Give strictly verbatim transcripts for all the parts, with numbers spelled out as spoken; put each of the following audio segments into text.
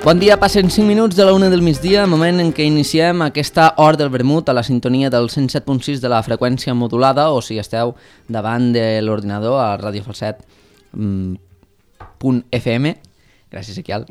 Bon dia, passen cinc minuts de la una del migdia, moment en què iniciem aquesta hora del vermut a la sintonia del cent set punt sis de la freqüència modulada, o si esteu davant de l'ordinador a Radio Falset punt F M. Gràcies, Equial.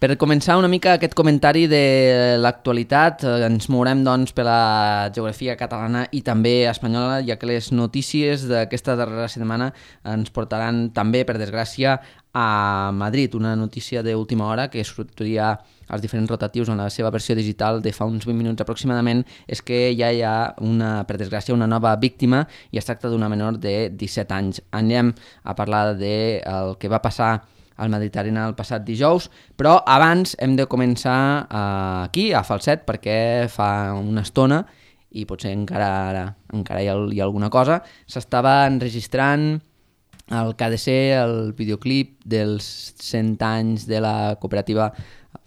Per començar una mica aquest comentari de l'actualitat, ens mourem doncs per la geografia catalana i també espanyola, ja que les notícies d'aquesta darrera setmana ens portaran també, per desgràcia, a Madrid. Una notícia d'última hora que sortiria als diferents rotatius en la seva versió digital de fa uns vint minuts aproximadament és que ja hi ha, una, per desgràcia, una nova víctima i es tracta d'una menor de disset anys. Anem a parlar del que va passar al Mediterrani el passat dijous, però abans hem de començar uh, aquí, a Falset, perquè fa una estona, i potser encara, encara hi, ha, hi ha alguna cosa, s'estava enregistrant el que ha de ser el videoclip dels cent anys de la cooperativa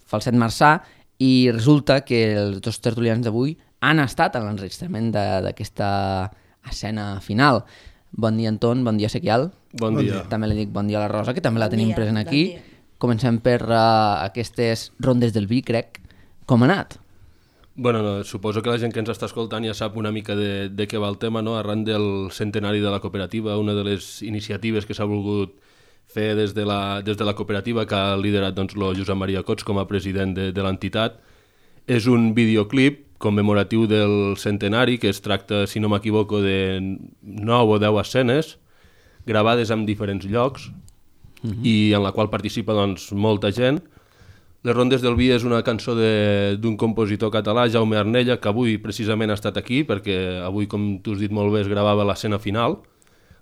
Falset Marçà, i resulta que els dos tertulians d'avui han estat en l'enregistrament d'aquesta escena final. Bon dia, Anton, bon dia, Sequial. Bon dia. També li dic bon dia a la Rosa, que també la bon tenim dia, present aquí. Bon Comencem per uh, aquestes rondes del vi, crec. Com ha anat? Bueno, no, suposo que la gent que ens està escoltant ja sap una mica de, de què va el tema, no? Arran del centenari de la cooperativa, una de les iniciatives que s'ha volgut fer des de la, des de la cooperativa, que ha liderat doncs, el Josep Maria Cots com a president de, de l'entitat. És un videoclip commemoratiu del centenari, que es tracta, si no m'equivoco, de nou o deu escenes, gravades en diferents llocs, uh-huh. i en la qual participa doncs, molta gent. Les Rondes del Vi és una cançó d'un compositor català, Jaume Arnella, que avui precisament ha estat aquí, perquè avui, com tu has dit molt bé, es gravava l'escena final,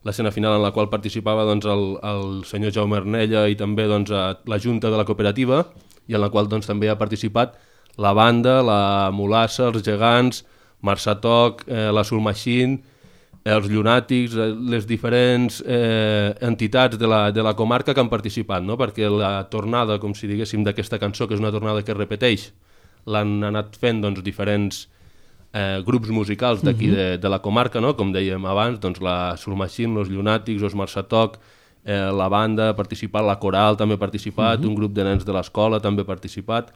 l'escena final en la qual participava doncs, el, el senyor Jaume Arnella i també doncs, la Junta de la Cooperativa, i en la qual doncs, també ha participat la banda, la Mulassa, els Gegants, Marçà Toc, eh, la Soul Machine, els llunàtics, les diferents eh, entitats de la, de la comarca que han participat, no? Perquè la tornada, com si diguéssim, d'aquesta cançó, que és una tornada que es repeteix, l'han anat fent doncs, diferents eh, grups musicals d'aquí uh-huh. de, de la comarca, no? Com dèiem abans, doncs, la Soul Machine, els llunàtics, els Marçà Toc, eh, la banda ha participat, la coral també ha participat, uh-huh. un grup de nens de l'escola també ha participat.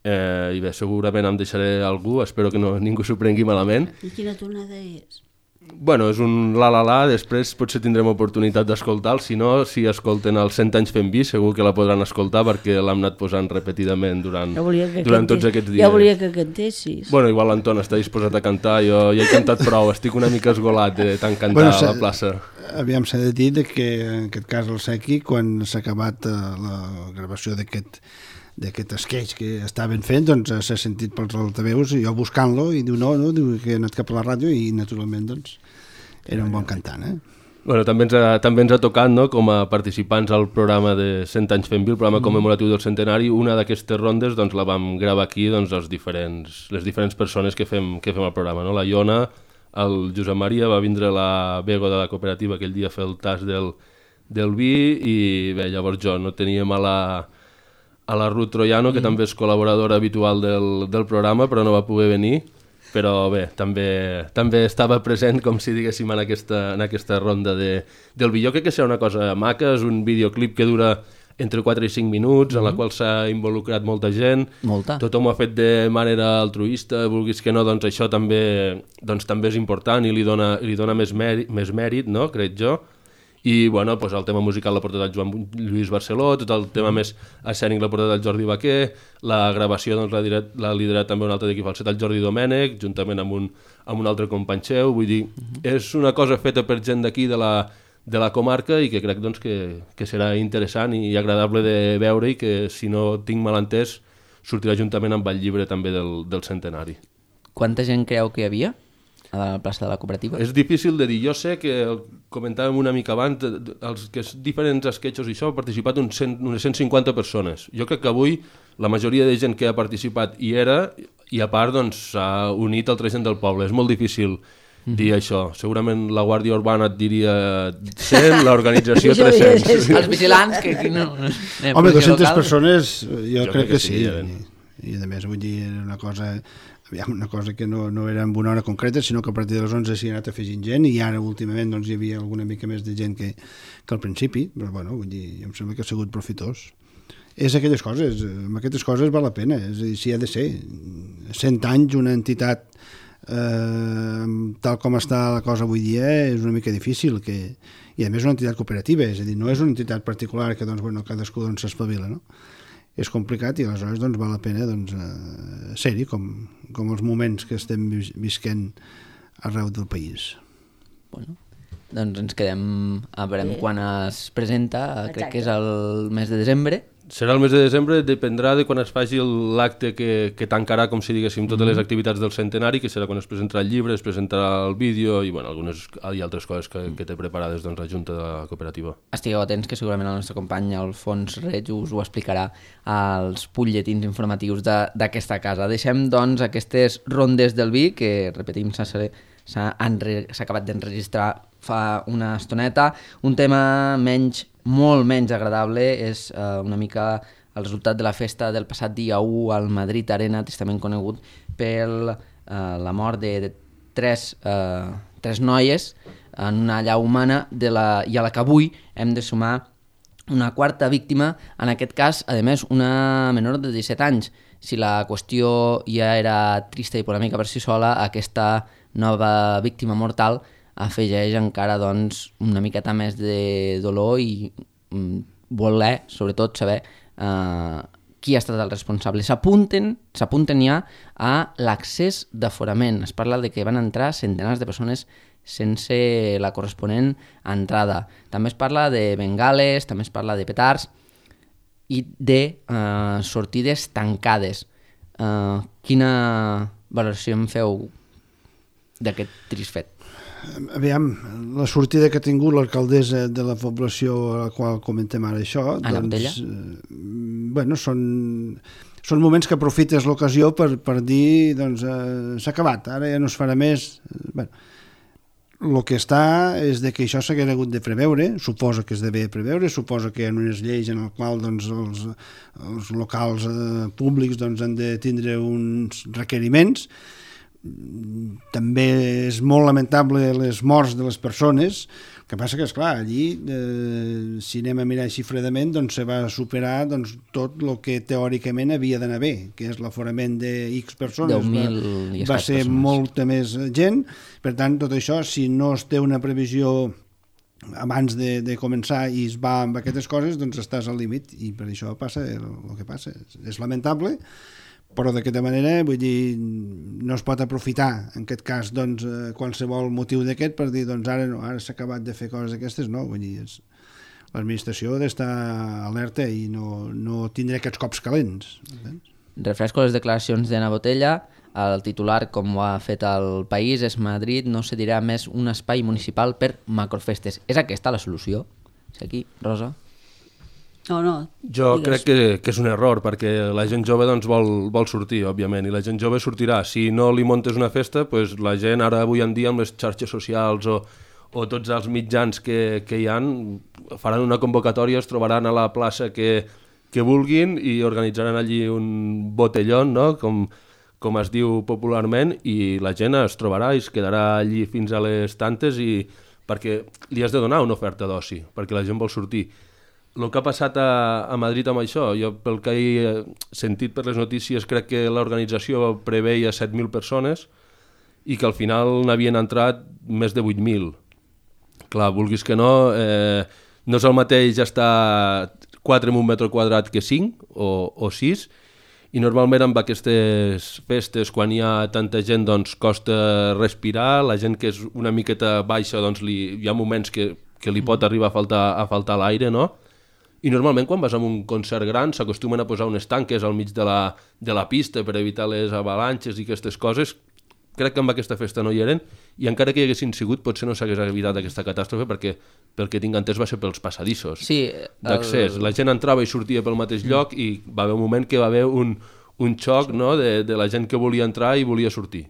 Eh, I bé, segurament em deixaré algú, espero que no, ningú s'ho prengui malament. I quina tornada és? Bueno, és un la la la, després potser tindrem oportunitat d'escoltar-lo, si no, si escolten els cent anys fent vi, segur que la podran escoltar perquè l'hem anat posant repetidament durant, ja durant tots aquests dies. Ja volia que cantessis. Bueno, igual l'Anton està disposat a cantar, jo ja he cantat prou, estic una mica esgolat de tant cantar bueno, a la plaça. Aviam, s'ha de dir que en aquest cas el Sequi, quan s'ha acabat uh, la gravació d'aquest d'aquest sketch que estaven fent, doncs s'ha sentit pels altaveus, i jo buscant-lo, i diu no, no, diu que he anat cap a la ràdio, i naturalment, doncs, era un bon cantant, eh? Bueno, també ens ha, també ens ha tocat, no?, com a participants al programa de cent anys fent vi, el programa mm. commemoratiu del centenari, una d'aquestes rondes doncs, la vam gravar aquí, doncs, els diferents, les diferents persones que fem, que fem el programa, no? La Iona, el Josep Maria, va vindre la Bego de la cooperativa aquell dia a fer el tas del, del vi, i bé, llavors jo no teníem a la... a la Ruth Troiano, que mm. també és col·laboradora habitual del, del programa, però no va poder venir, però bé, també, també estava present, com si diguéssim, en aquesta, en aquesta ronda de, del vi. Jo crec que serà una cosa maca, és un videoclip que dura entre quatre i cinc minuts, mm. en la qual s'ha involucrat molta gent, molta. Tothom ho ha fet de manera altruista, vulguis que no, doncs això també, doncs, també és important i li dona, li dona més, mèrit, més mèrit, no?, crec jo. I bueno, pues, el tema musical l'ha portat el Joan Lluís Barceló, tot el tema més escènic l'ha portat el Jordi Baquer, la gravació doncs, l'ha liderat, l'ha liderat també un altre d'aquí Falset, el Jordi Domènech, juntament amb un, amb un altre company seu. Vull dir, uh-huh. és una cosa feta per gent d'aquí de la, de la comarca i que crec doncs, que, que serà interessant i agradable de veure, i que, si no tinc mal entès, sortirà juntament amb el llibre també del, del centenari. Quanta gent creu que hi havia a la plaça de la cooperativa? És difícil de dir. Jo sé que, comentàvem una mica abans, els que diferents esquetxos i això, ha participat un cent, unes cent cinquanta persones. Jo crec que avui la majoria de gent que ha participat hi era, i a part doncs, s'ha unit altra gent del poble. És molt difícil mm-hmm. dir això. Segurament la Guàrdia Urbana et diria cent, l'organització tres-cents. Els vigilants, que aquí no... Home, dues-centes persones, jo, jo crec, crec que sí. sí. I, I a més, vull dir, era una cosa... Aviam, una cosa que no, no era en una hora concreta, sinó que a partir de les onze s'hi ha anat afegint gent, i ara últimament doncs, hi havia alguna mica més de gent que, que al principi, però bueno, vull dir, em sembla que ha sigut profitós. és aquelles coses, amb aquestes coses val la pena, és a dir, si ha de ser cent anys una entitat eh, tal com està la cosa avui dia és una mica difícil, que, i a més una entitat cooperativa, és a dir, no és una entitat particular que doncs, bueno, cadascú doncs, s'espavila, no? És complicat i aleshores doncs, val la pena doncs, eh, ser-hi com, com els moments que estem vis visquent arreu del país. Bueno, doncs ens quedem a veure Sí. quan es presenta, crec Exacte. que és el mes de desembre. Serà el mes de desembre, dependrà de quan es faci l'acte que, que tancarà, com si diguéssim, totes les activitats del centenari, que serà quan es presentarà el llibre, es presentarà el vídeo i bueno, algunes i altres coses que, que té preparades doncs, la Junta de la Cooperativa. Estigueu atents que segurament el nostre company Alfons Reig us ho explicarà als butlletins informatius de- d'aquesta casa. Deixem doncs aquestes rondes del vi que, repetim, s'ha s'ha enre- s'ha acabat d'enregistrar fa una estoneta. Un tema menys, molt menys agradable és eh, una mica el resultat de la festa del passat dia u al Madrid Arena, tristament conegut per eh, la mort de, de tres, eh, tres noies en una llau humana de la, i a la que avui hem de sumar una quarta víctima, en aquest cas, a més, una menor de disset anys. Si la qüestió ja era trista i polèmica per si sola, aquesta nova víctima mortal afegeix encara doncs, una miqueta més de dolor i mm, voler, sobretot, saber eh, qui ha estat el responsable. S'apunten s'apunten ja a l'accés d'aforament. Es parla de que van entrar centenars de persones sense la corresponent entrada. També es parla de bengales, també es parla de petards i de eh, sortides tancades. Eh, quina valoració en feu d'aquest trist fet? Aviam, la sortida que ha tingut l'alcaldessa de la població a la qual comentem ara això, Anna Botella? doncs, eh, bueno, són, són moments que aprofites l'ocasió per, per dir, doncs, eh, s'ha acabat, ara ja no es farà més. Eh, bueno, el que està és de que això s'hagués hagut de preveure, suposa que es devia preveure, suposa que hi ha unes lleis en el qual doncs, els, els locals eh, públics doncs, han de tindre uns requeriments. També és molt lamentable les morts de les persones, el que passa que, esclar, allí, eh, si anem a mirar així fredament, doncs se va superar doncs, tot el que teòricament havia d'anar bé, que és l'aforament de X persones. deu mil i va, va escaig ser persones. molta més gent, per tant, tot això, si no es té una previsió abans de, de començar i es va amb aquestes coses, doncs estàs al límit, i per això passa el, el que passa. És lamentable, però d'aquesta manera, vull dir, no es pot aprofitar, en aquest cas, doncs, eh, qualsevol motiu d'aquest per dir, doncs ara no, ara s'ha acabat de fer coses d'aquestes, no, vull dir, és, l'administració ha d'estar alerta i no, no tindre aquests cops calents. Entens? Refresco les declaracions d'Anna Botella. El titular, com ho ha fet el País, és Madrid no cedirà més un espai municipal per macrofestes. És aquesta la solució? És aquí, Rosa? No, no. Jo digues. crec que, que és un error, perquè la gent jove doncs, vol, vol sortir, òbviament, i la gent jove sortirà. Si no li montes una festa, pues, la gent ara avui en dia amb les xarxes socials o, o tots els mitjans que, que hi han faran una convocatòria, es trobaran a la plaça que, que vulguin i organitzaran allí un botellón, no? com, com es diu popularment, i la gent es trobarà i es quedarà allí fins a les tantes, i perquè li has de donar una oferta d'oci, perquè la gent vol sortir. El que ha passat a, a Madrid amb això, jo pel que he sentit per les notícies crec que l'organització preveia set mil persones i que al final n'havien entrat més de vuit mil. Clar, vulguis que no, eh, no és el mateix estar quatre en un metre quadrat que cinc o, o sis, i normalment amb aquestes festes, quan hi ha tanta gent, doncs costa respirar, la gent que és una miqueta baixa, doncs li, hi ha moments que, que li pot arribar a faltar, a faltar l'aire, no? I normalment quan vas a un concert gran s'acostumen a posar unes tanques al mig de la, de la pista per evitar les avalanxes i aquestes coses. Crec que amb aquesta festa no hi eren, i encara que hi haguessin sigut potser no s'hagués evitat aquesta catàstrofe, perquè pel que tinc entès va ser pels passadissos Sí, d'accés. La gent entrava i sortia pel mateix lloc i va haver un moment que va haver un, un xoc, no? de, de la gent que volia entrar i volia sortir.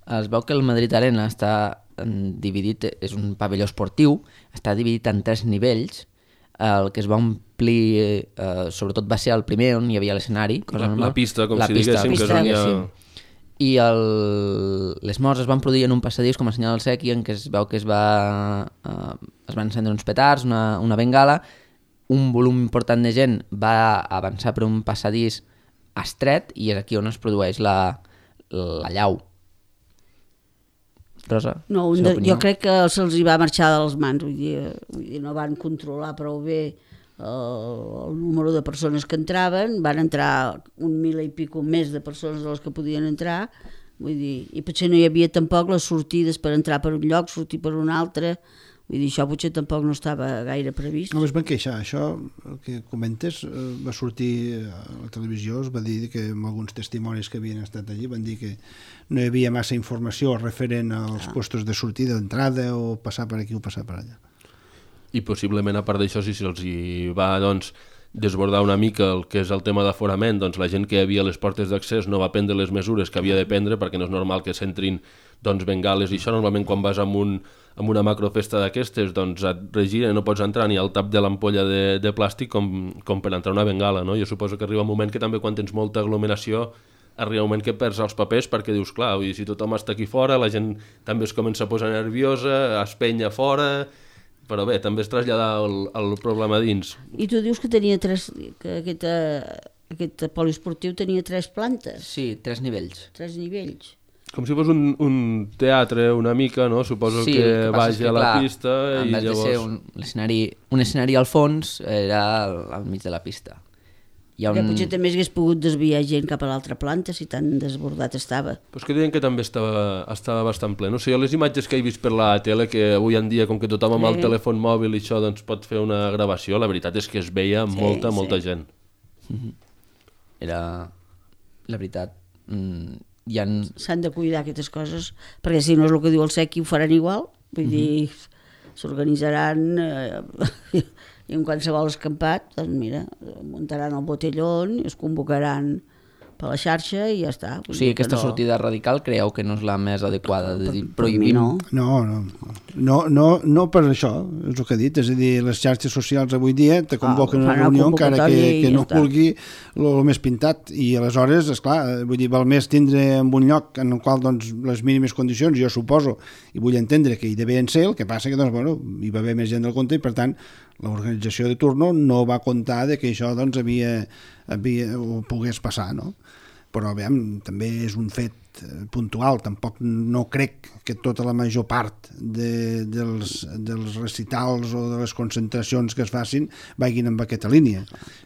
Es veu que el Madrid Arena està mm, dividit, és un pavelló esportiu, està dividit en tres nivells. El que es va omplir, eh, sobretot va ser el primer on hi havia l'escenari, cosa La, normal. la pista, com la si pista, diguéssim, que és pista, on hi ha... diguéssim. I el... les morts es van produir en un passadís com a senyal del sequi, en què es veu que es va eh, es van encendre uns petards, una, una bengala, un volum important de gent va avançar per un passadís estret i és aquí on es produeix la, la llau. Rosa, No, un de, jo crec que se'ls hi va marxar de les mans, vull dir, vull dir, no van controlar prou bé el, el número de persones que entraven, van entrar un mil i pico més de persones de les que podien entrar, vull dir, i potser no hi havia tampoc les sortides per entrar per un lloc, sortir per un altre, vull dir, això potser tampoc no estava gaire previst. No, es van queixar, això, el que comentes, eh, va sortir a la televisió, es va dir que amb alguns testimonis que havien estat allí van dir que no hi havia massa informació referent als ah. puestos de sortida, d'entrada, o passar per aquí o passar per allà. I possiblement, a part d'això, si se'ls hi va, doncs, desbordar una mica el que és el tema d'aforament, doncs la gent que hi havia a les portes d'accés no va prendre les mesures que havia de prendre, perquè no és normal que s'entrin doncs, bengales i això. Normalment quan vas amb, un, amb una macrofesta d'aquestes doncs et regira i no pots entrar ni al tap de l'ampolla de, de plàstic com, com per entrar una bengala, no? Jo suposo que arriba un moment que també quan tens molta aglomeració arriba un moment que perds els papers perquè dius, clar, vull dir, si tothom està aquí fora, la gent també es comença a posar nerviosa, es penya fora, però bé, també es trasllada el, el problema dins. I tu dius que tenia tres, que aquest, aquest poliesportiu tenia tres plantes? Sí, tres nivells. Tres nivells. Com si fos un, un teatre una mica, no? Suposo sí, que, que vagi que, a la clar, pista i llavors... llavors... de ser un escenari, un escenari al fons, era al, al mig de la pista. Hi ha un... Que potser també hagués pogut desviar gent cap a l'altra planta si tan desbordat estava. Però és que deien que també estava, estava bastant ple. No sé, jo les imatges que he vist per la tele, que avui en dia, com que tothom amb sí. el telèfon mòbil i això doncs, pot fer una gravació, la veritat és que es veia sí, molta, sí. molta gent. Mm-hmm. Era... La veritat... Mm, ha... S'han de cuidar aquestes coses, perquè si no és el que diu el Sequi ho faran igual, vull mm-hmm. dir, s'organitzaran... Eh, i en qualsevol escampat, doncs mira, muntaran el botellón, es convocaran per la xarxa i ja està. O sigui, aquesta no... sortida radical creieu que no és la més adequada, de dir, prohibim? No. No, no, no, no, no per això, és el que he dit, és a dir, les xarxes socials avui dia te convoquen ah, a una reunió encara que, que no ja vulgui el més pintat, i aleshores, esclar, vull dir, val més tindre en un lloc en el qual doncs, les mínimes condicions, jo suposo, i vull entendre que hi devien ser, el que passa que doncs, bueno, hi va haver més gent del compte i per tant l'organització de turno no va comptar de que això doncs, havia, havia, ho pogués passar, no? Però veiem, també és un fet puntual, tampoc no crec que tota la major part de, dels, dels recitals o de les concentracions que es facin vagin en aquesta línia.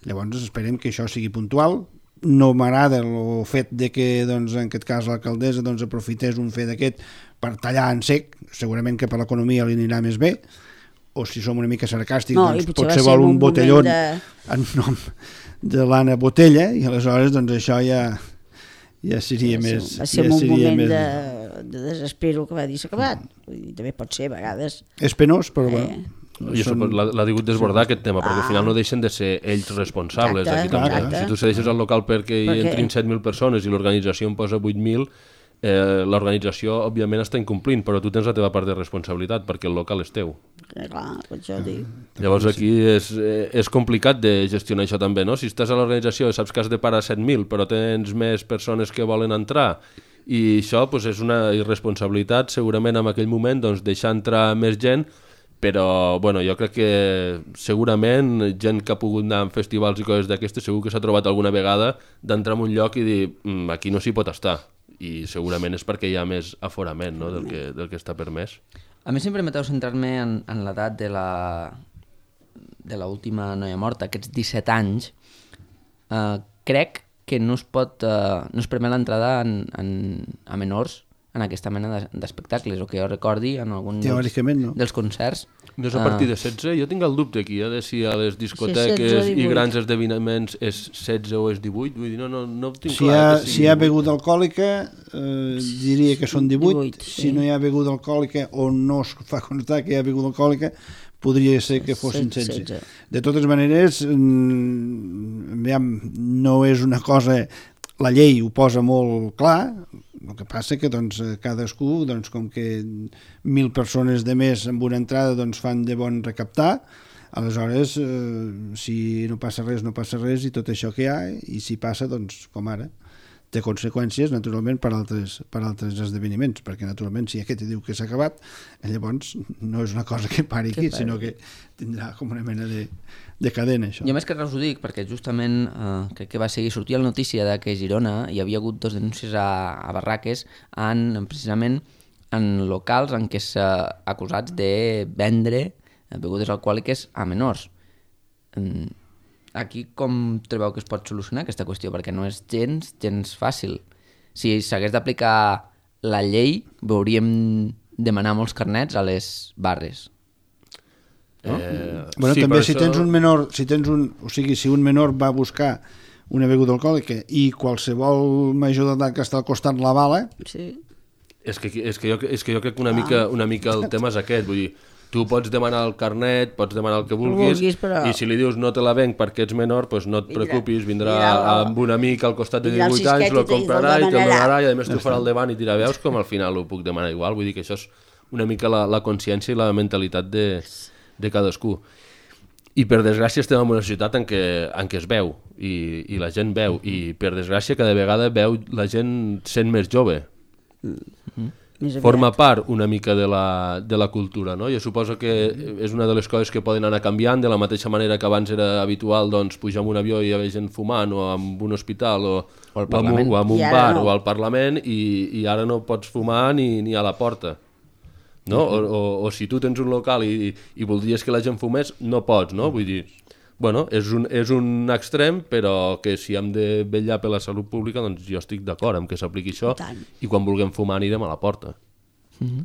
Llavors esperem que això sigui puntual. No m'agrada el fet de que doncs, en aquest cas l'alcaldessa doncs, aprofités un fet d'aquest per tallar en sec, segurament que per l'economia li anirà més bé, o si som una mica sarcàstics, no, doncs potser vol un, un botellón de... en nom de l'Anna Botella, i aleshores doncs això ja, ja seria va més... Va ser ja un seria moment més... de, de desespero que va dir s'ha acabat. Vull dir, també pot ser a vegades... És penós, però eh. bueno... Jo són... l'ha digut desbordar aquest tema, perquè ah. al final no deixen de ser ells responsables. Exacte, aquí també. exacte. Si tu cedeixes al local perquè hi perquè... entrin set mil persones i l'organització en posa vuit mil, eh, l'organització òbviament està incomplint, però tu tens la teva part de responsabilitat perquè el local és teu. Eh, clar, per això dic. Llavors aquí és, és complicat de gestionar això també, no? Si estàs a l'organització saps que has de parar set mil, però tens més persones que volen entrar, i això doncs, és una irresponsabilitat segurament en aquell moment doncs, deixar entrar més gent, però bueno, jo crec que segurament gent que ha pogut anar en festivals i coses d'aquestes segur que s'ha trobat alguna vegada d'entrar en un lloc i dir mmm, aquí no s'hi pot estar, i segurament és perquè hi ha més aforament, no? del, que, del que està permès. A mi sempre m'ateu centrar-me en, en l'edat de la de l'última noia morta, aquests disset anys. Uh, crec que no es pot uh, no es permet l'entrada en, en, a menors en aquesta mena d'espectacles, o que jo recordi en algun dels, no. dels concerts. No és a partir de setze? Jo tinc el dubte aquí, eh, de si a les discoteques sí, i grans esdeveniments és setze o és divuit, vull dir, no, no, no ho tinc si clar. Hi ha, que sigui si hi ha beguda alcohòlica, eh, diria que són divuit, divuit sí. Si no hi ha beguda alcohòlica o no es fa constar que hi ha beguda alcohòlica, podria ser que fossin setze. De totes maneres, no és una cosa... La llei ho posa molt clar, el que passa que doncs, cadascú, doncs, com que mil persones de més amb una entrada doncs, fan de bon recaptar, aleshores, eh, si no passa res, no passa res, i tot això que hi ha, i si passa, doncs, com ara, té conseqüències, naturalment, per altres, per altres esdeveniments, perquè, naturalment, si aquest diu que s'ha acabat, llavors no és una cosa que pari aquí, sinó que tindrà com una mena de, de cadena, això. Jo més que res ho dic, perquè justament eh, crec que va seguir sortir la notícia de que a Girona hi havia hagut dos denúncies a, a barraques en, precisament en locals en què s'ha acusats de vendre begudes alcohòliques a menors. Aquí com trobeu que es pot solucionar aquesta qüestió? Perquè no és gens, gens fàcil. Si s'hagués d'aplicar la llei, veuríem demanar molts carnets a les barres. No? Eh, bueno, sí, també si això... tens un menor, si tens un, o sigui, si un menor va buscar una beguda alcohòlica i qualsevol major d'edat que està al costat la bala... Sí. És que, és que, jo, és que jo crec que una, ah. mica, una mica el tema és aquest, vull dir, tu pots demanar el carnet, pots demanar el que vulguis, vulguis però... i si li dius no te la venc perquè ets menor, doncs no et preocupis, vindrà, vindrà amb un amic al costat de divuit anys, lo comprarà i te'l donarà, i a més tu farà el davant i dirà, veus com al final ho puc demanar igual, vull dir que això és una mica la, la consciència i la mentalitat de, de cadascú. I per desgràcia estem en una societat en què, en què es veu, i, i la gent veu, i per desgràcia cada vegada veu la gent sent més jove. Mm-hmm. Forma part una mica de la, de la cultura, no? Jo suposo que és una de les coses que poden anar canviant, de la mateixa manera que abans era habitual doncs, pujar en un avió i hi havia gent fumant, o en un hospital, o, o, o, en, un, o en un bar, no. O al Parlament, i, i ara no pots fumar ni, ni a la porta. No? Uh-huh. o, o, o si tu tens un local i, i voldries que la gent fumés, no pots, no? Vull dir, bueno, és un, és un extrem, però que si hem de vetllar per la salut pública, doncs jo estic d'acord amb que s'apliqui això, i quan vulguem fumar anirem a la porta. Mm-hmm.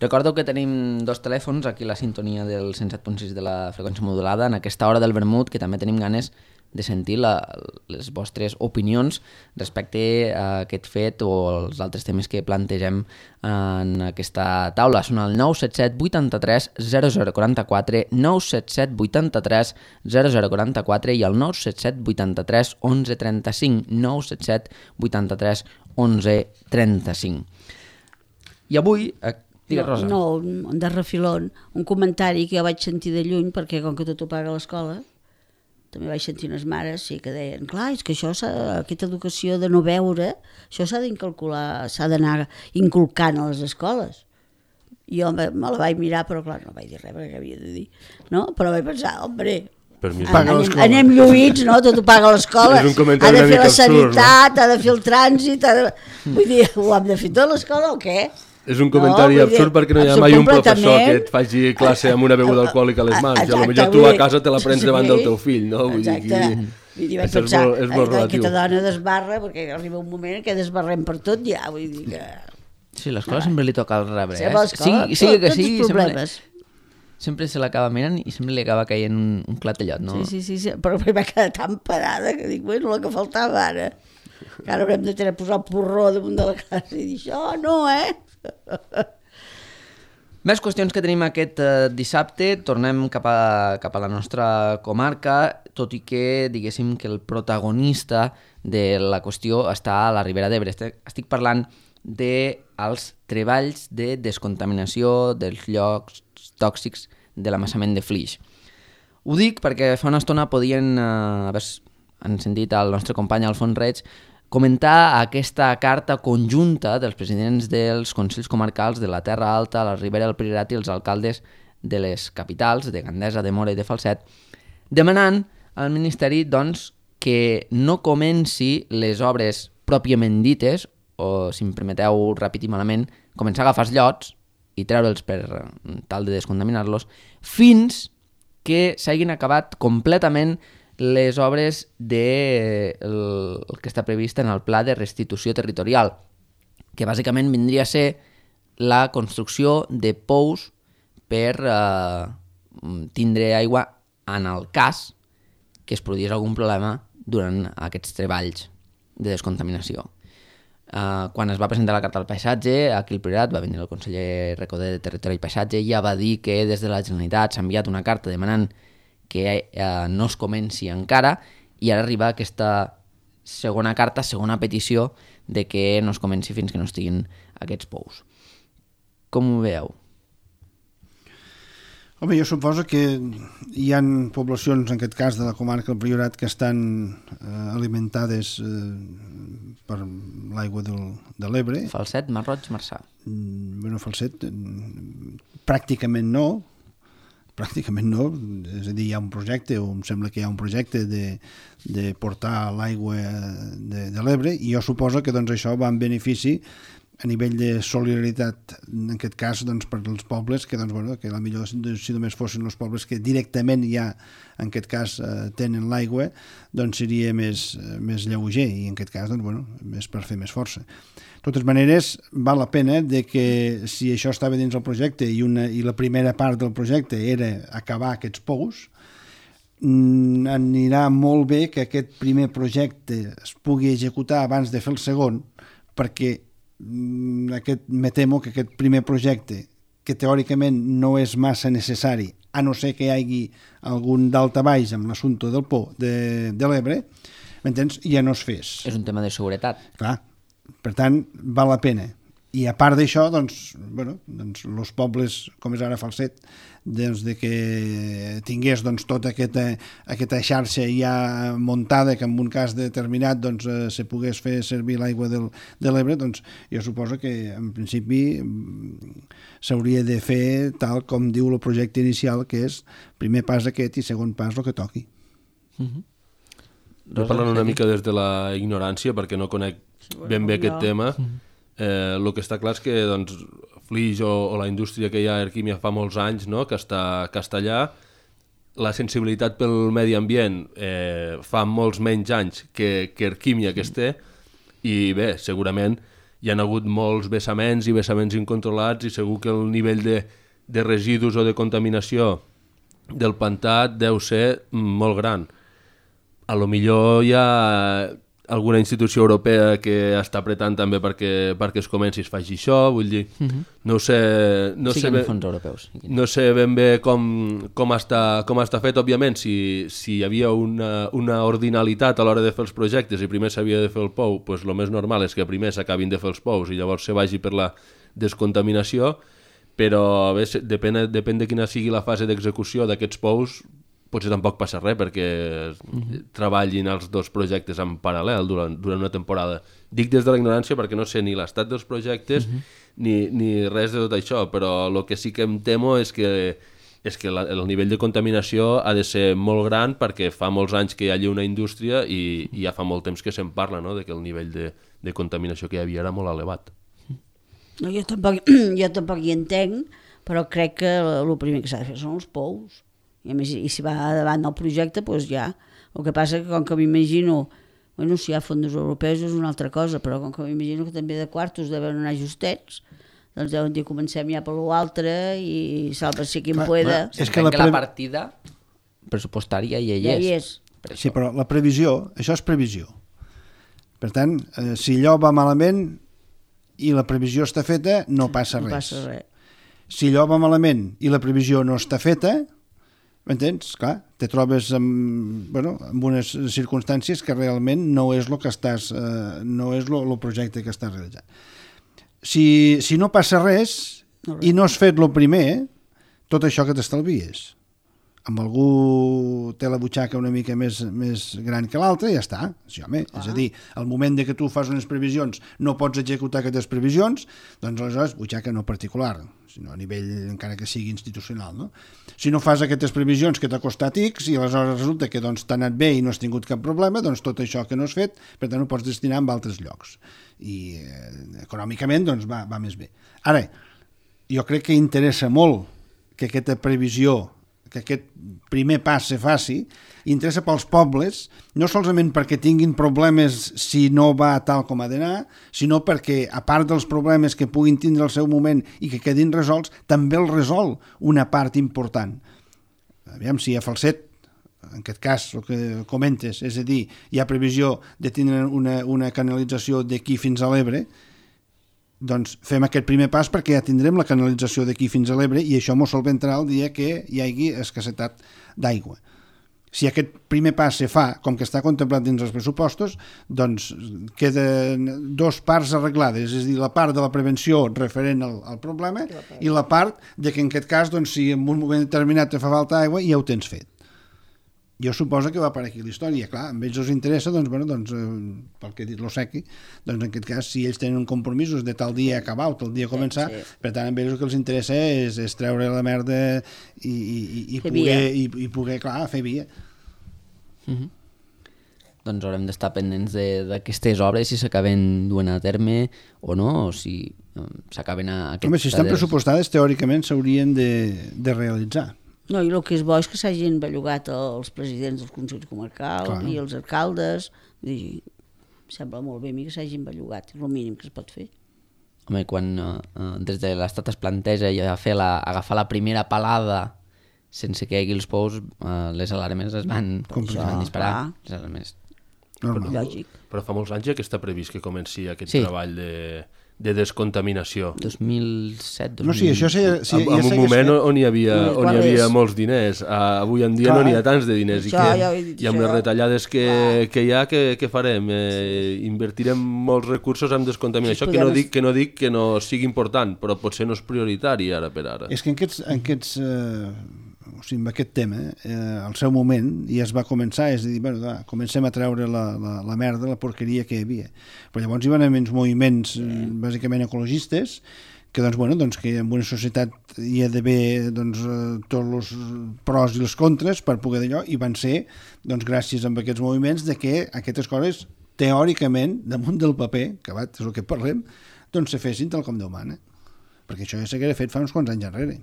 Recordo que tenim dos telèfons aquí a la sintonia del cent set punt sis de la freqüència modulada en aquesta hora del vermut, que també tenim ganes de sentir la, les vostres opinions respecte a aquest fet o els altres temes que plantegem en aquesta taula. Són el nou set set vuitanta-tres zero zero quaranta-quatre, nou set set vuitanta-tres zero zero quaranta-quatre i el nou set set vuitanta-tres onze trenta-cinc, nou set set vuitanta-tres onze trenta-cinc. I avui... Eh, digues, Rosa. No, no, de refilón, un comentari que jo vaig sentir de lluny, perquè com que tot ho paga l'escola, també vaig sentir unes mares sí, que deien, clar, és que això aquesta educació de no veure, això s'ha d'incalcular, s'ha d'anar inculcant a les escoles. Jo me, me la vaig mirar, però clar, no vaig dir res perquè havia de dir, no? Però vaig pensar, hombre, anem, anem lluïts, no? Tot ho paga l'escola, ha de fer la sanitat, no? Ha de fer el trànsit, ha de... vull dir, ho hem de fer tot l'escola o què? És un comentari no, absurd perquè no hi ha mai un professor que et faci classe amb una beguda alcohòlica a les mans. Exacte, i potser tu a casa te la prens davant del teu fill, no? Vull dir que... Vull dir, vaig pensar, és molt aquesta dona desbarra, perquè arriba un moment que desbarrem per tot ja, vull dir que... Sí, l'escola no. Sempre li toca el rebre, eh? Sí, sí, que sí, sempre, sempre se l'acaba mirant i sempre li acaba caient un, un clatellot, no? Sí, sí, sí, sí, però va quedar tan parada que dic, bueno, el que faltava ara, que ara haurem de tenir a posar el porró damunt de la casa i dir, això no, eh? Més qüestions que tenim aquest eh, dissabte. Tornem cap a, cap a la nostra comarca, tot i que diguéssim que el protagonista de la qüestió està a la Ribera d'Ebre. Estic parlant dels treballs de descontaminació dels llocs tòxics de l'amassament de Flix. Ho dic perquè fa una estona podien eh, haver han sentit el nostre company Alfons Reig comentar aquesta carta conjunta dels presidents dels consells comarcals de la Terra Alta, la Ribera del Priorat i els alcaldes de les capitals, de Gandesa, de Móra i de Falset, demanant al Ministeri doncs, que no comenci les obres pròpiament dites, o si em permeteu repetir malament, començar a agafar els llots i treure'ls per tal de descontaminar-los, fins que s'hagin acabat completament les obres de el, el que està previst en el Pla de Restitució Territorial, que bàsicament vindria a ser la construcció de pous per eh, tindre aigua en el cas que es produís algun problema durant aquests treballs de descontaminació. Eh, quan es va presentar la carta al paisatge, aquí al Priorat va venir el conseller Recoder de Territori i Paisatge i ja va dir que des de la Generalitat s'ha enviat una carta demanant que eh, no es comenci encara, i ara arriba aquesta segona carta, segona petició de que no es comenci fins que no estiguin aquests pous. Com ho veieu? Home, jo suposo que hi ha poblacions, en aquest cas de la comarca del Priorat, que estan eh, alimentades eh, per l'aigua del, de l'Ebre. Falset, Mar Roig, Marçà. Mm, bueno, Falset, pràcticament no, pràcticament no, és a dir, hi ha un projecte, o em sembla que hi ha un projecte de, de portar l'aigua de, de l'Ebre, i jo suposo que doncs, això va en benefici a nivell de solidaritat, en aquest cas, doncs, per als pobles, que, doncs, bueno, que a la millor si només fossin els pobles que directament ja, en aquest cas, eh, tenen l'aigua, doncs seria més, més lleuger, i en aquest cas, doncs, bueno, més per fer més força. De totes maneres, val la pena de que si això estava dins el projecte i, una, i la primera part del projecte era acabar aquests pous, anirà molt bé que aquest primer projecte es pugui executar abans de fer el segon, perquè aquest, me temo que aquest primer projecte, que teòricament no és massa necessari, a no ser que hi hagi algun daltabaix amb l'assumpte del pou de, de l'Ebre, m'entens? Ja no es fes. És un tema de seguretat. Clar, per tant, val la pena. I a part d'això, doncs, bueno, doncs, els pobles, com és ara Falset, doncs, de que tingués doncs, tota aquesta, aquesta xarxa ja muntada, que en un cas determinat doncs, eh, se pogués fer servir l'aigua del, de l'Ebre, doncs jo suposo que en principi s'hauria de fer tal com diu el projecte inicial, que és primer pas aquest i segon pas el que toqui. Mm-hmm. Jo parlant una mica des de la ignorància, perquè no conec ben bé aquest tema, eh, el que està clar és que doncs, Flix o, o la indústria que hi ha a Erquímia fa molts anys, no?, que està, que està allà, la sensibilitat pel medi ambient eh, fa molts menys anys que, que Erquímia que es té, i bé, segurament hi ha hagut molts vessaments i vessaments incontrolats, i segur que el nivell de, de residus o de contaminació del pantà deu ser molt gran. A lo millor hi ha alguna institució europea que està apretant també perquè, perquè es comenci i es faci això, vull dir, uh-huh. no sé... No sí sé que ben, fons europeus. No sé ben bé com, com, està, com està fet, òbviament, si, si hi havia una, una ordinalitat a l'hora de fer els projectes i primer s'havia de fer el pou, doncs el més normal és que primer s'acabin de fer els pous i llavors se vagi per la descontaminació, però bé, depèn, depèn de quina sigui la fase d'execució d'aquests pous, potser tampoc passa res perquè uh-huh. treballin els dos projectes en paral·lel durant, durant una temporada. Dic des de la ignorància perquè no sé ni l'estat dels projectes uh-huh. ni, ni res de tot això, però el que sí que em temo és que, és que la, el nivell de contaminació ha de ser molt gran perquè fa molts anys que hi ha allà una indústria i, i ja fa molt temps que se'n parla, no?, de que el nivell de, de contaminació que hi havia era molt elevat. No, jo, tampoc, jo tampoc hi entenc, però crec que el primer que s'ha de fer són els pous. I, a més, i si va davant del projecte, doncs ja. El que passa que com que m'imagino, bueno, si hi ha fons europeus és una altra cosa, però com que m'imagino que també de quartos deuen anar justets, doncs deuen dir comencem ja per l'altre i salva si qui en pueda. És que la, pre... la partida pressupostària ja hi és. Ja hi és. Sí, però la previsió, això és previsió. Per tant, eh, si allò va malament i la previsió està feta, no passa res. No passa res. Si allò va malament i la previsió no està feta, m'entens? Clar, te trobes amb, bueno, amb unes circumstàncies que realment no és el que estàs, eh, no és el projecte que estàs realitzant. Si, si no passa res, no res i no has fet el primer, tot això que t'estalvies. Amb algú té la butxaca una mica més, més gran que l'altre, ja està. Sí, home, ah. És a dir, al moment de que tu fas unes previsions no pots executar aquestes previsions, doncs aleshores butxaca no particular, sinó a nivell encara que sigui institucional. No? Si no fas aquestes previsions que t'ha costat X i aleshores resulta que doncs, t'ha anat bé i no has tingut cap problema, doncs tot això que no has fet, per tant ho pots destinar en altres llocs. I eh, econòmicament doncs, va, va més bé. Ara, jo crec que interessa molt que aquesta previsió, que aquest primer pas se faci, interessa pels pobles, no solament perquè tinguin problemes si no va tal com ha d'anar, sinó perquè, a part dels problemes que puguin tindre al seu moment i que quedin resolts, també el resol una part important. Aviam, si a Falset, en aquest cas, el que comentes, és a dir, hi ha previsió de tindre una, una canalització d'aquí fins a l'Ebre, doncs fem aquest primer pas perquè ja tindrem la canalització d'aquí fins a l'Ebre i això m'ho solventarà el dia que hi hagi escassetat d'aigua. Si aquest primer pas se fa com que està contemplat dins els pressupostos, doncs queden dos parts arreglades, és a dir, la part de la prevenció referent al, al problema i la part de que en aquest cas, doncs, si en un moment determinat te fa falta aigua, ja ho tens fet. jo suposo que va per aquí la història. Clar, a ells els interessa, doncs, bueno, doncs, eh, pel que he dit l'Osequi, doncs en aquest cas, si ells tenen compromisos de tal dia acabar o tal dia començar, sí, sí. Per tant, a ells el que els interessa és, és treure la merda i, i, i, poder, i, i poder, clar, fer via. Mm-hmm. Doncs haurem d'estar pendents d'aquestes obres, si s'acaben duent a terme o no, o si um, s'acaben a... Home, si estan pressupostades, teòricament s'haurien de, de realitzar. No, i el que és bo és que s'hagin bellugat els presidents dels consells comarcals Clar. I els alcaldes. I em sembla molt bé a mi que s'hagin bellugat, és el mínim que es pot fer. Home, quan uh, des de l'Estat es planteja ja fer la, agafar la primera palada sense que hi hagi els pous, uh, les alarmes es van, es van disparar. Les alarmes. Lògic. Però fa molts anys ja que està previst que comenci aquest sí. treball de... de descontaminació. dos mil set, dos mil... No, sí, això sí, sí, en, ja en un moment fet. on hi havia, on hi havia molts diners. Uh, avui en dia Clar. no n'hi ha tants de diners. Això, I, que, ja i amb les retallades que, que hi ha, què, què farem? Eh, invertirem molts recursos en descontaminació, que no, dic, que no dic que no sigui important, però potser no és prioritari ara per ara. És que en aquests... En aquests eh... o sigui, amb aquest tema, eh, al seu moment, i es va començar, és a dir, bueno, va, comencem a treure la, la, la merda, la porqueria que hi havia. Però llavors hi van haver uns moviments sí. bàsicament ecologistes, que doncs, bueno, doncs, que en una societat hi ha d'haver doncs, tots els pros i els contres per poder d'allò, i van ser, doncs, gràcies a aquests moviments, de que aquestes coses, teòricament, damunt del paper, que va, és el que parlem, doncs se fessin tal com Déu mana. Perquè això ja s'haguera fet fa uns quants anys enrere,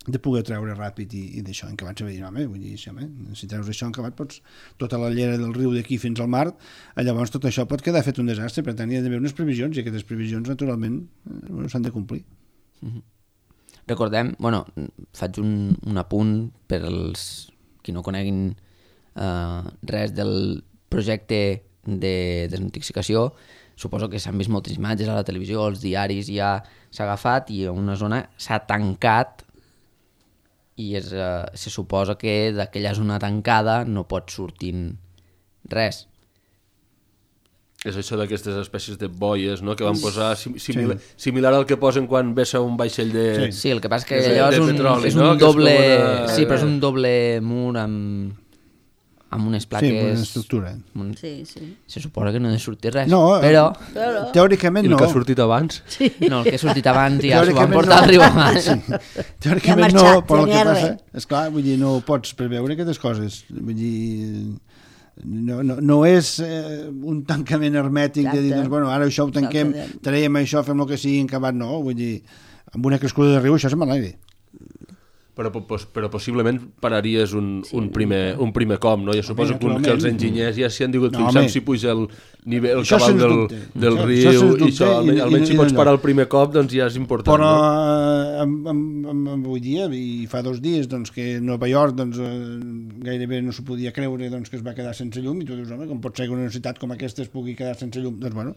de poder treure ràpid i, i d'això, en què abans s'ha dit, home, vull dir, sí, home, si treus això en acabat, pots, tota la llera del riu d'aquí fins al mar, llavors tot això pot quedar fet un desastre, per tant hi ha d'haver unes previsions, i aquestes previsions, naturalment, eh, s'han de complir. Mm-hmm. Recordem, bueno, faig un, un apunt per als qui no coneguin eh, res del projecte de desintoxicació. Suposo que s'han vist moltes imatges a la televisió, als diaris ja s'ha agafat i una zona s'ha tancat i és, uh, se suposa que d'aquella zona tancada no pot sortir res. És això d'aquestes espècies de boies, no?, que van posar sim similar, sí. similar al que posen quan vessa un vaixell de... Sí, sí, el que passa que allò és un, petroli, és un no? doble... És una... Sí, però és un doble mur amb... amb unes plaques... Sí, amb una estructura. Un... Sí, sí. Se suposa que no ha de sortir res, no, però... però... Teòricament no. I el que ha sortit abans? Sí. No, el que ha sortit abans ja s'ho van portar no. al riu abans. Sí. Teòricament ja marxat, no, però el que passa... Esclar, vull dir, no pots preveure aquestes coses. Vull dir... No, no, no és eh, un tancament hermètic Exacte. de dir, doncs, bueno, ara això ho tanquem, traiem això, fem el que sigui acabat, no, vull dir, amb una crescuda de riu això se'n va l'aire. Però, però possiblement pararies un, sí, un, primer, un primer cop, no? Jo suposo que, que els enginyers ja s'hi han digut no, fixant si puja el, nivell, el cabal del, del això, riu això i això, almenys, i, almenys i, si pots parar el primer cop, doncs ja és important. Però no? amb, amb, amb, avui dia, i fa dos dies, doncs, que Nova York doncs, gairebé no s'ho podia creure doncs, que es va quedar sense llum, i tu dius, home, com pot ser que una ciutat com aquesta es pugui quedar sense llum? Doncs, bueno,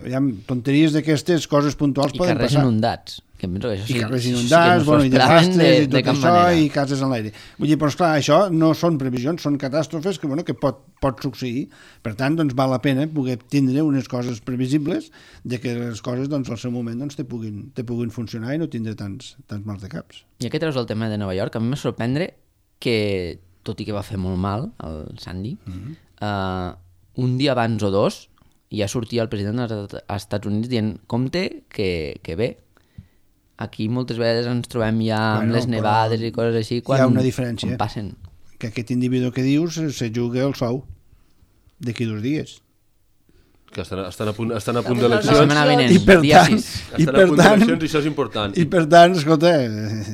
aviam, tonteries d'aquestes, coses puntuals I poden passar. I carrers inundats. Que penso que això sí, I carrers inundats, sí bueno, i desastres, de, i tot això, manera. I cases en l'aire. Vull dir, però esclar, això no són previsions, són catàstrofes que, bueno, que pot, pot succeir. Per tant, doncs, val la pena poder tindre unes coses previsibles de que les coses, doncs, al seu moment, doncs, te puguin, te puguin funcionar i no tindre tants, tants mals de caps. I aquí treus el tema de Nova York. A mi m'ha sorprendre que, tot i que va fer molt mal, el Sandy, mm-hmm. uh, un dia abans o dos, ja sortia el president dels Estats Units dient, compte que, que bé, aquí moltes vegades ens trobem ja bueno, amb les nevades i coses així quan, hi ha una diferència, quan passen. Que aquest individu que dius se juga el sou d'aquí dos dies. Que estan, estan a punt, estan a punt d'eleccions. I per tant, i per tant, i això és important. I per tant, escolta,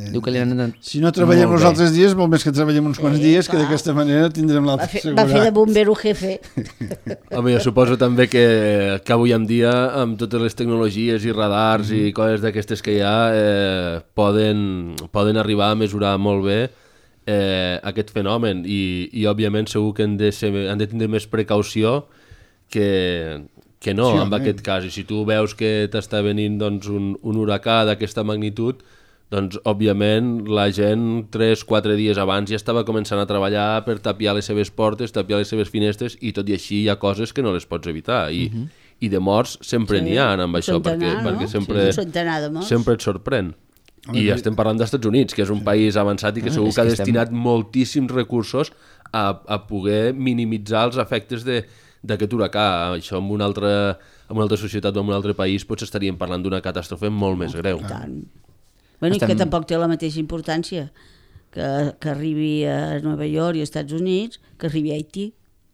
Diu que li han... si no treballem els altres dies, molt més que treballem uns quants eh, dies, que d'aquesta manera tindrem l'altre assegurat. Va fer de bombero jefe. Home, jo suposo també que, que avui en dia, amb totes les tecnologies i radars mm. i coses d'aquestes que hi ha, eh, poden, poden arribar a mesurar molt bé eh, aquest fenomen i, i òbviament segur que han de, ser, han de tindre més precaució que, que no, sí, en aquest cas. I si tu veus que t'està venint doncs, un, un huracà d'aquesta magnitud, doncs, òbviament, la gent tres quatre dies abans ja estava començant a treballar per tapiar les seves portes, tapiar les seves finestres, i tot i així hi ha coses que no les pots evitar. I, uh-huh. i de morts sempre sí, n'hi ha amb això, perquè, no? perquè sempre, sí, sempre et sorprèn. I estem parlant d'Estats Units, que és un país avançat i que segur que ha destinat moltíssims recursos a, a poder minimitzar els efectes d'aquest huracà. Això en una, altra, en una altra societat o en un altre país potser estaríem parlant d'una catàstrofe molt més greu. I tant. Bueno, Estem... i que tampoc té la mateixa importància que, que arribi a Nova York i als Estats Units que arribi a Haití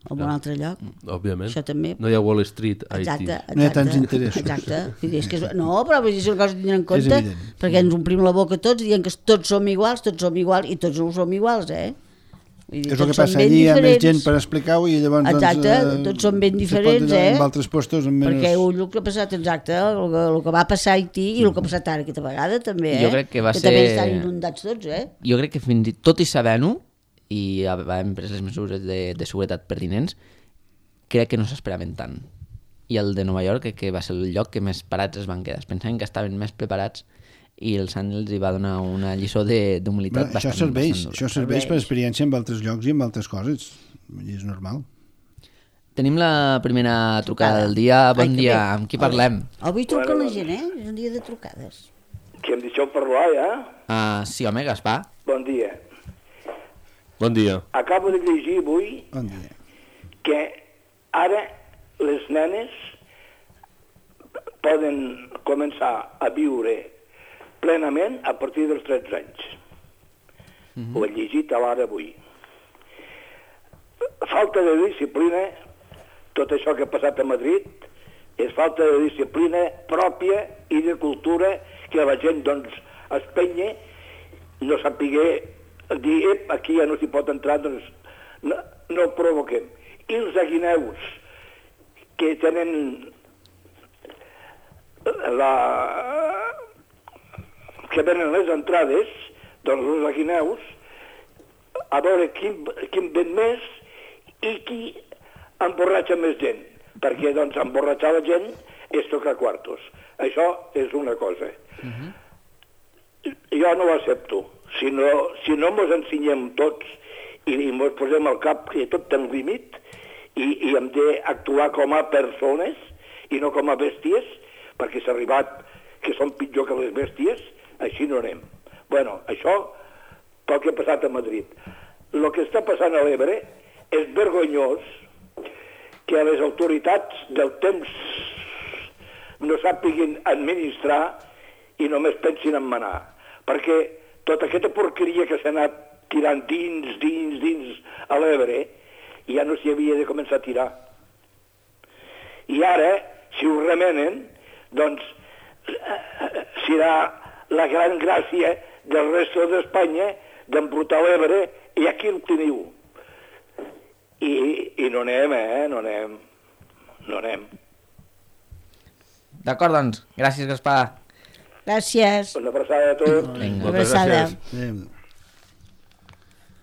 o en un altre lloc. Òbviament. Això també. No hi ha Wall Street a Haití. Exacte, exacte. No hi ha tants interessos. Exacte. És que és... No, però és una cosa a tenir en compte, perquè ens omplim la boca tots dient que tots som iguals, tots som iguals, i tots no som iguals, eh? Dir, és el que passa allí, hi ha més gent per explicar-ho i llavors... Exacte, doncs, eh, tots són ben diferents, eh? En altres puestos amb menys... Perquè el que ha passat, exacte, el que, el que va passar a Haití i el que ha passat ara aquesta vegada també, eh? Jo crec que va que ser... també estan inundats tots, eh? Jo crec que fins i tot i sabent-ho, i hem pres les mesures de, de seguretat pertinents, crec que no s'esperaven tant. I el de Nova York crec que va ser el lloc que més parats es van quedar. Pensaven que estaven més preparats i el Sant els hi va donar una lliçó d'humilitat bastant, això serveix, bastant dura. Això serveix per experiència en altres llocs i en altres coses. És normal. Tenim la primera trucada del dia. Bon Ai, dia, amb qui parlem? Avui truca la gent, eh? És un dia de trucades. Que em deixeu parlar, ja? Uh, sí, home, Gaspar. Bon dia. Bon dia. Acabo de llegir avui Bon dia. que ara les nenes poden començar a viure plenament a partir dels tretze anys. Mm-hmm. Ho he llegit a l'ara avui. Falta de disciplina, tot això que ha passat a Madrid, és falta de disciplina pròpia i de cultura que la gent, doncs, es penye, no sapigué dir, ep, aquí ja no s'hi pot entrar, doncs no, no ho provoquem. I els aguineus que tenen la... que venen les entrades, doncs els aguineus, a veure quin, quin ven més i qui emborratxa més gent, perquè doncs emborratxar la gent és tocar quartos. Això és una cosa. Uh-huh. Jo no ho accepto. Si no, si no mos ensenyem tots i, i mos posem al cap que tot té un límit i, i hem d'actuar com a persones i no com a bèsties, perquè s'ha arribat que són pitjor que les bèsties, així no anem. Bueno, això pel que ha passat a Madrid. El que està passant a l'Ebre és vergonyós que les autoritats del temps no sàpiguin administrar i només pensin en manar. Perquè tota aquesta porqueria que s'ha anat tirant dins, dins, dins a l'Ebre, ja no s'hi havia de començar a tirar. I ara, si ho remenen, doncs serà la gran gràcia del resto d'Espanya d'embrutar l'Ebre i aquí el teniu. I, i no anem, eh? No anem. No anem. D'acord, doncs. Gràcies, Gaspar. Gràcies. Una abraçada a tots. Vinga. Una abraçada.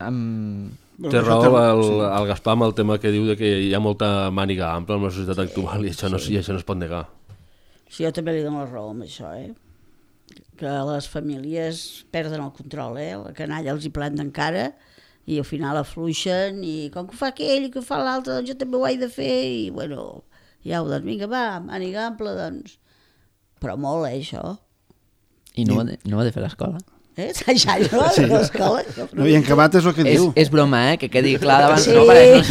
Um... Té raó el, el Gaspar amb el tema que diu de que hi ha molta màniga ampla en la societat actual i això no, i això no es pot negar. Sí, jo també li dono la raó amb això, eh? Que les famílies perden el control, eh? La canalla els hi planten cara i al final afluixen i com que ho fa aquell i que ho fa l'altre, doncs jo també ho he de fer i, bueno, ja ho, doncs vinga, va, màniga ampla, doncs. Però molt, eh, això. I no, I... no ho ha de fer l'escola? Eh? Ja, no, a l'escola. No, i en acabat és el que és, diu. És broma, eh? Que quedi clar davant. Sí. No, pareix...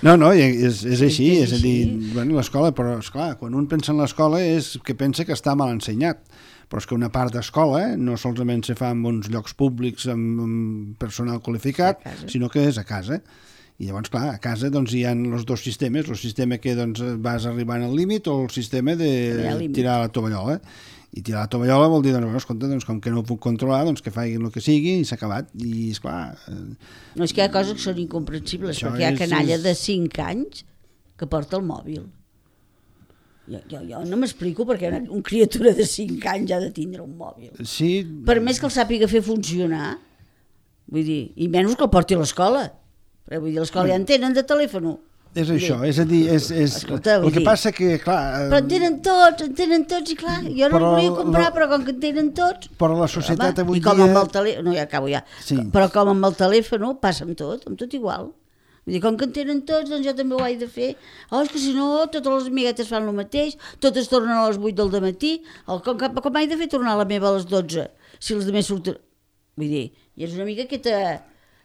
No, no, és, és així, És és a dir, bueno, l'escola, però esclar, quan un pensa en l'escola és que pensa que està mal ensenyat, però és que una part d'escola eh, no solament se fa en uns llocs públics amb, amb personal qualificat, sinó que és a casa. I llavors, clar, a casa doncs, hi ha els dos sistemes, el sistema que doncs, vas arribant al límit o el sistema de tirar la tovallola. I tirar la tovallola vol dir, doncs, bueno, escolta, doncs, com que no ho puc controlar, doncs que facin el que sigui i s'ha acabat. I, esclar... Eh... No, és que hi ha coses que són incomprensibles, això perquè hi ha canalla és... de cinc anys que porta el mòbil. Jo, jo, jo no m'explico perquè una, una criatura de cinc anys ha de tindre un mòbil. Sí. Per més que el sàpiga fer funcionar, vull dir, i menys que el porti a l'escola. Però vull dir, a l'escola ja en tenen de telèfon. És això, és a dir, és, és... Escolta, el que dir, passa que, clar... Però en tenen tots, en tenen tots, i clar, jo no però, el volia comprar, la, però com que en tenen tots... Però la societat home, avui i com dia... amb el telèfon, no, ja acabo ja, Sí. però com amb el telèfon passa amb tot, amb tot igual. Vull dir, com que en tenen tots, doncs jo també ho he de fer. Oh, és que si no, totes les amiguetes fan el mateix, totes tornen a les vuit del dematí, oh, com, com, com he de fer tornar la meva a les dotze, si els demés surten... Vull dir, i és una mica aquesta...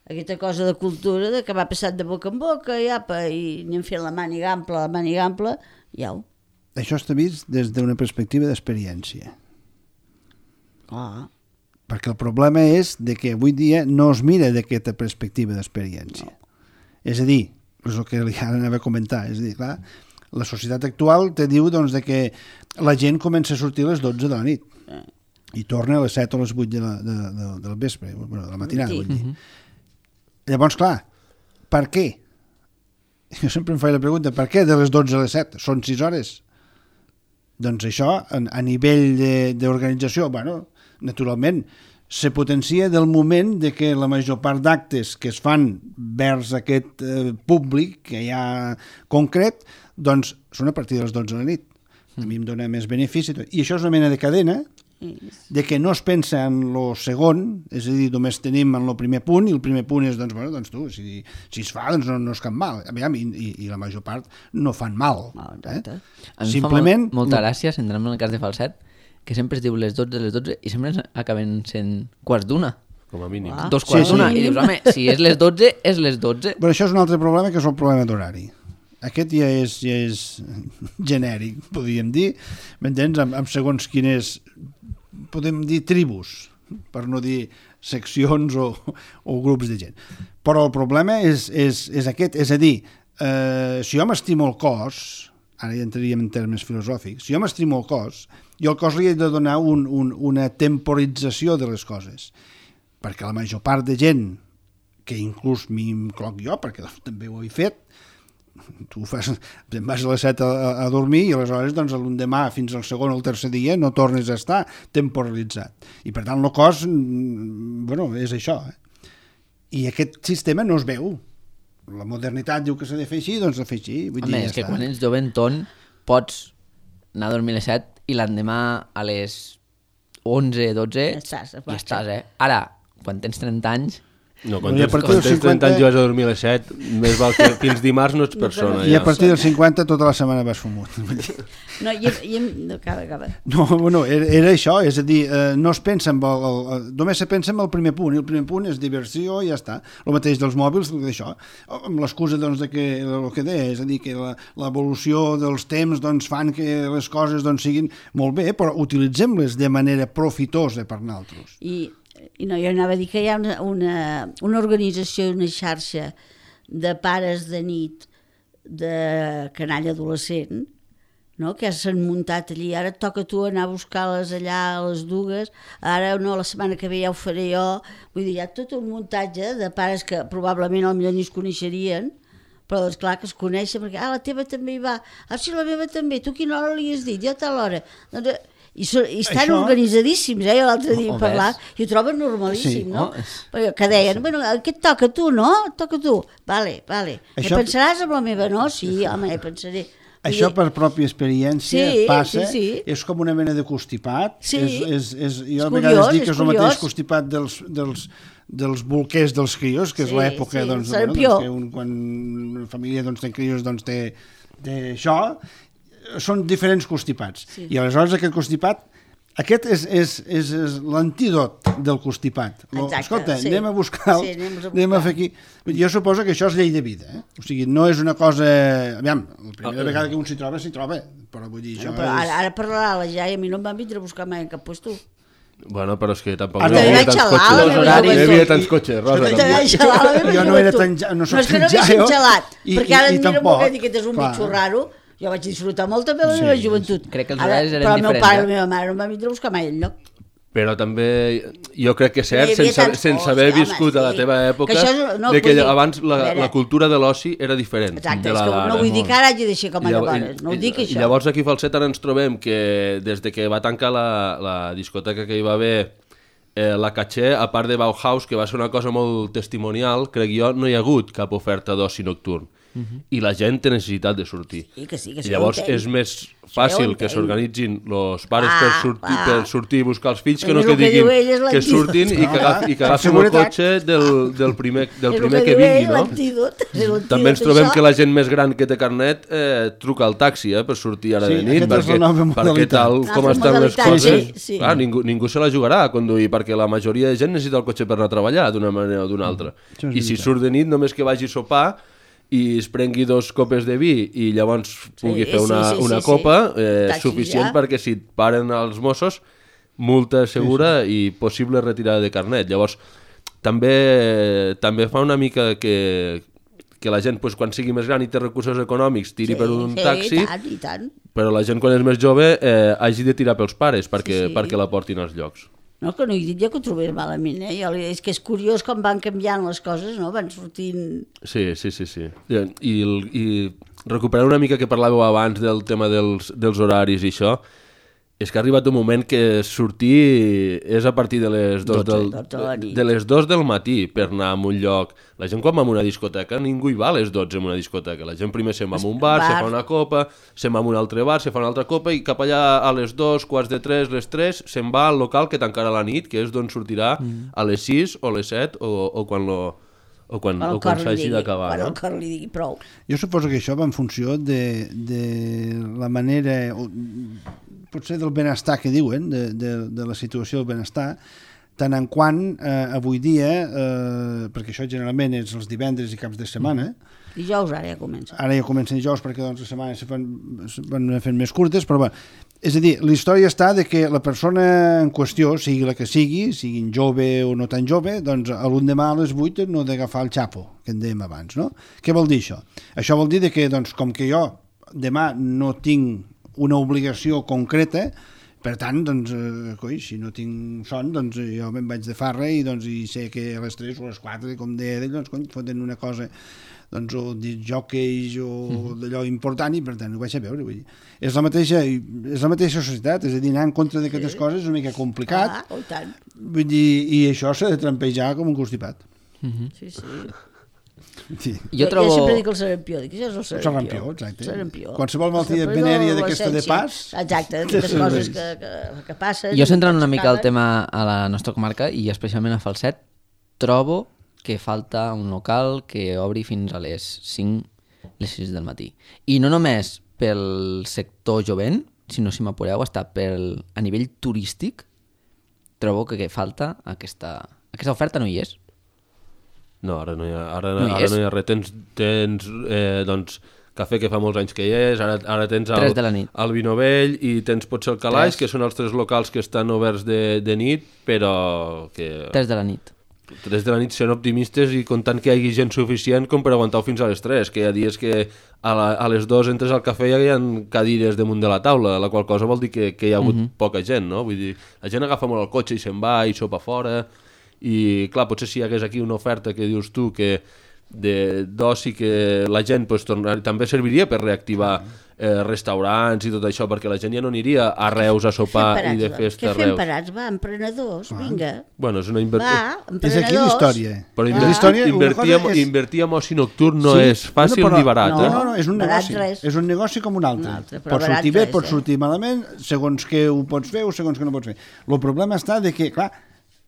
aquesta cosa de cultura de que va passat de boca en boca i apa, i anem fent la màniga ampla, la màniga ampla, i au. Això està vist des d'una perspectiva d'experiència. Ah. Perquè el problema és de que avui dia no es mira d'aquesta perspectiva d'experiència. És a dir, és el que ara anava a comentar, és a dir, clar, la societat actual te diu doncs, de que la gent comença a sortir a les dotze de la nit i torna a les set o les vuit de la, de, de, del vespre, bueno, de la matinada, vull dir. Llavors, clar, per què? Jo sempre em faig la pregunta, per què de les dotze a les set? Són sis hores? Doncs això, a, a nivell d'organització, bueno, naturalment, se potencia del moment de que la major part d'actes que es fan vers aquest eh, públic que hi ha concret, doncs són a partir de les dotze de la nit. A mi em dona més benefici. I això és una mena de cadena de que no es pensa en lo segon, és a dir, només tenim en lo primer punt, i el primer punt és, doncs, bueno, doncs tu, si, si es fa, doncs no, no és cap mal. Aviam, i, i, i la major part no fan mal. Eh? A mi Simplement, fa molt, molta gràcia, si entrem en el cas de Falset, que sempre es diu les dotze, les dotze, i sempre acaben sent quarts d'una. Com a mínim. Ah. Dos quarts sí, d'una, sí. I dius, home, si és les dotze, és les dotze. Però això és un altre problema, que és el problema d'horari. Aquest ja és, ja és genèric, podríem dir, m'entens? Amb, amb segons quines, podem dir tribus, per no dir seccions o, o grups de gent. Però el problema és, és, és aquest, és a dir, eh, si jo m'estimo el cos, ara ja entraríem en termes filosòfics, si jo m'estimo el cos, jo al cos li he de donar un, un, una temporització de les coses, perquè la major part de gent, que inclús m'hi incloc jo, perquè també ho he fet, tu fas, te'n vas a les set a, a dormir i aleshores doncs, l'endemà fins al segon o el tercer dia no tornes a estar temporalitzat. I per tant el cos, bueno, és això. Eh? I aquest sistema no es veu. La modernitat diu que s'ha de fer així, doncs s'ha de fer així. Vull Home, dir, és ja que està. quan ets joventón pots anar a dormir a les set i l'endemà a les onze, dotze ja estàs, i estàs, eh? Ara, quan tens trenta anys... No, quan I a tens, partir quan dels tens cinquanta... trenta anys i vas a dormir a les set, més val que fins dimarts no ets persona. I ja. a partir dels cinquanta tota la setmana vas fumut. No, i, i, no, acaba, acaba. No, bueno, era, era això, és a dir, eh, no es pensa en el, el, el, només se pensa en el primer punt, i el primer punt és diversió i ja està. El mateix dels mòbils, d'això, amb l'excusa doncs, de que, el que deia, és a dir, que l'evolució dels temps doncs, fan que les coses doncs, siguin molt bé, però utilitzem-les de manera profitosa per nosaltres. I, i no, jo anava a dir que hi ha una, una, una organització, una xarxa de pares de nit de canalla adolescent, no? Que s'han muntat allí, ara et toca a tu anar a buscar-les allà a les dues, ara no, la setmana que ve ja ho faré jo, vull dir, hi ha tot un muntatge de pares que probablement potser ni es coneixerien, però és clar que es coneixen, perquè ah, la teva també hi va, ah, sí, la meva també, tu quina hora li has dit? Jo a tal hora. Doncs, i, so, i estan això... organitzadíssims, eh? L'altre dia oh, parlar, i ho troben normalíssim, sí, no? oh, Que deien, bueno, què et toca a tu, no? Et toca a tu. Vale, vale. Això... Ja pensaràs amb la meva, no? Sí, home, ja pensaré. Això per pròpia experiència sí, passa, sí, sí. És com una mena de constipat. Sí. És, és, és, jo és a vegades curiós, dic que és, és el mateix constipat dels, dels, dels bolquers dels crios, que és sí, l'època sí, doncs, bueno, doncs, que un, quan una família doncs, té crios doncs, té, té això, són diferents constipats. Sí. I aleshores aquest constipat, aquest és, és, és, és l'antídot del constipat. Exacte, escolta, sí. anem a buscar, sí, anem, a buscar. anem a fer aquí. Jo suposo que això és llei de vida, eh? O sigui, no és una cosa... Aviam, la primera oh, vegada que un s'hi troba, s'hi troba, però vull dir, això no, però és... Ara, ara parlarà la ja i a mi no em van vindre a buscar mai en cap puesto. Bueno, però és que tampoc ah, no hi havia tants cotxes. No hi havia tants cotxes, Rosa. Jo no era tan... No soc no, és que no haguéssim gelat, perquè ara em mira molt bé que és un clar. bitxo raro. Jo vaig disfrutar molt també de la sí, meva joventut. Crec que els horaris eren però diferents. Però el meu pare i la meva mare no em van vindre a buscar mai enlloc. Però també, jo crec que és cert, sense, sense haver viscut a la teva època, que és, no, de que dir, abans la, la cultura de l'oci era diferent. Exacte, de la és que no vull dir que ara hagi de ser com a llavors, no ho dic això. I llavors aquí a Falset ens trobem que des de que va tancar la, la discoteca que hi va haver eh, la Caché, a part de Bauhaus, que va ser una cosa molt testimonial, crec jo, no hi ha hagut cap oferta d'oci nocturn. uh-huh. i la gent té necessitat de sortir. Sí, que sí, que sí, I llavors entenc. és més Sí, fàcil que entenc. s'organitzin els pares Ah, per, sortir, ah. per sortir i buscar els fills, que És no el que que diu diguin ell, és que l'antídot. surtin i que, agaf, i que Per agafin el seguretat. cotxe del, del primer, del És el primer que diu vingui, ell, no? l'antídot, és l'antídot També ens trobem d'això. que la gent més gran que té carnet eh, truca al taxi eh, per sortir ara Sí, de nit, aquesta és perquè, la nova perquè modalitat. tal Una com altra estan les modalitat, coses, sí, sí. clar, ningú, ningú se la jugarà a conduir, perquè la majoria de gent necessita el cotxe per anar a treballar d'una manera o d'una altra. Això és I si veritat. surt de nit, només que vagi a sopar i es prengui dos copes de vi i llavors pugui Sí, fer una, sí, sí, una sí, copa, sí. eh, Taxis suficient ja. perquè si et paren els Mossos, multa segura sí, sí. i possible retirada de carnet. Llavors, també, també fa una mica que, que la gent, pues, quan sigui més gran i té recursos econòmics, tiri Sí, per un sí, taxi, i tant, i tant. però la gent quan és més jove eh, hagi de tirar pels pares perquè, Sí, sí. perquè la portin als llocs. No, que no he dit jo que ho trobés malament, eh? Jo, li- és que és curiós com van canviant les coses, no? Van sortint... Sí, sí, sí, sí. I, i, i recuperar una mica que parlàveu abans del tema dels, dels horaris i això, és que ha arribat un moment que sortir és a partir de les dos, del, dotze de la nit. de les dos del matí per anar a un lloc. La gent quan va a una discoteca, ningú hi va a les dotze en una discoteca. La gent primer se'n va a un bar, Bar. se fa una copa, se'n va a un altre bar, se fa una altra copa i cap allà a les dos, quarts de tres, les tres, se'n va al local que tancarà la nit, que és d'on sortirà mm. a les sis o les set o, o quan lo... o quan, Quan o el quan cor li s'hagi digui, d'acabar, quan no? el cor li digui prou. Jo suposo que això va en funció de, de la manera, o, potser del benestar que diuen, de, de, de la situació del benestar, tant en quant eh, avui dia, eh, perquè això generalment és els divendres i caps de setmana, Dijous ara ja comença. ara ja comencen dijous perquè doncs les setmanes se fan, se van fent més curtes, però bé, és a dir, la història està de que la persona en qüestió, sigui la que sigui, siguin jove o no tan jove, doncs a l'endemà a les vuit no ha d'agafar el xapo, que en dèiem abans, no? Què vol dir això? Això vol dir que, doncs, com que jo demà no tinc una obligació concreta, per tant, doncs, eh, coi, si no tinc son, doncs jo me'n vaig de farra i, doncs, i sé que a les tres o a les quatre, com deia ell, doncs, cony, foten una cosa, doncs, o disjòqueis o d'allò important i, per tant, ho vaig a veure. Vull dir. És la mateixa, és la mateixa societat, és a dir, anar en contra d'aquestes sí. coses és una mica complicat, Ah, oh, i tant. vull dir, i això s'ha de trampejar com un constipat. Sí, sí. Sí. Jo trobo... Jo sempre dic el sarampió, dic, això és el sarampió. sarampió, exacte. Sarampió. Qualsevol malaltia Sempre venèria de d'aquesta de l'adolescència. pas, Exacte, té aquestes coses serveis. que, que, que passen. Jo centrant una que mica el s'acaben. tema a la nostra comarca i especialment a Falset, trobo que falta un local que obri fins a les cinc, les sis del matí. I no només pel sector jovent, sinó, si m'apureu, està pel, a nivell turístic, trobo que, que falta aquesta, aquesta oferta no hi és. No, ara no hi ha, ara, No hi ara és? no hi ha res. Tens, tens eh, doncs, cafè que fa molts anys que hi és, ara, ara tens el, Tres de la nit. el Vino Vell i tens potser el Calaix, Tres. que són els tres locals que estan oberts de, de nit, però que Tres de la nit. tres de la nit sent optimistes i comptant que hi hagi gent suficient com per aguantar fins a les tres, que hi ha dies que a, la, a les dos entres al cafè i hi ha cadires damunt de la taula, la qual cosa vol dir que, que hi ha hagut uh -huh. poca gent, no? Vull dir, la gent agafa molt el cotxe i se'n va i sopa fora, i clar, potser si hi hagués aquí una oferta que dius tu que de d'oci que la gent pues, tornar, també serviria per reactivar eh, restaurants i tot això, perquè la gent ja no aniria a Reus a sopar i de festa a Què fem Reus. parats? Va, emprenedors, vinga. Bueno, és una inversió. Va, És emprenedors. aquí la història. Però És inver la història, una invertir, cosa en, és- invertir en oci nocturn no Sí, és fàcil no, però- ni barat. No, eh? no, no, és un Barat negoci. res. És un negoci com un altre. Un altre, però Pots barat sortir bé, res, pots eh? sortir malament, segons què ho pots fer o segons què no pots fer. El problema està de que, clar,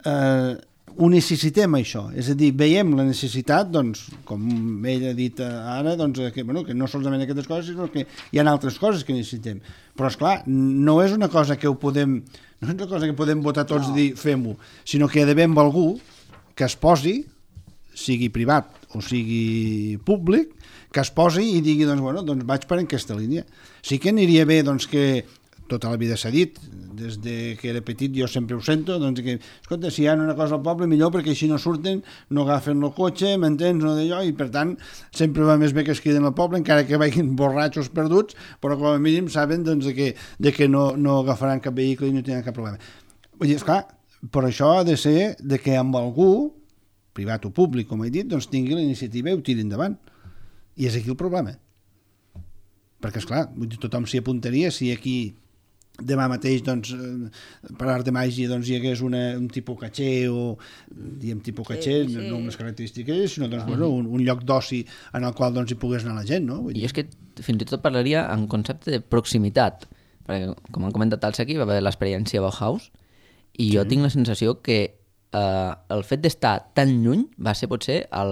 eh, ho necessitem això, és a dir, veiem la necessitat, doncs, com ell ha dit ara, doncs, que, bueno, que no solament aquestes coses, sinó que hi ha altres coses que necessitem. Però, és clar, no és una cosa que ho podem, no és una cosa que podem votar tots no. i dir fem-ho, sinó que hi ha d'haver amb algú que es posi, sigui privat o sigui públic, que es posi i digui, doncs, bueno, doncs vaig per aquesta línia. Sí que aniria bé, doncs, que tota la vida s'ha dit, des de que era petit jo sempre ho sento, doncs que, escolta, si hi ha una cosa al poble millor perquè així no surten, no agafen el cotxe, m'entens, no d'allò, i per tant sempre va més bé que es queden al poble, encara que vagin borratxos perduts, però com a mínim saben doncs, de que, de que no, no agafaran cap vehicle i no tindran cap problema. Vull dir, esclar, però això ha de ser de que amb algú, privat o públic, com he dit, doncs tingui la iniciativa i ho tiri endavant. I és aquí el problema. Perquè, esclar, vull dir, tothom s'hi apuntaria si aquí demà mateix, doncs, per art de màgia, doncs, hi hagués una, un tipus caché o, diguem, tipus caché, sí, sí. no unes característiques, sinó doncs, bueno, un, un lloc d'oci en el qual doncs, hi pogués anar la gent, no? Vull dir... I és que fins i tot parlaria en concepte de proximitat, perquè, com han comentat els aquí, va haver l'experiència Bauhaus, i jo sí. tinc la sensació que eh, el fet d'estar tan lluny va ser potser el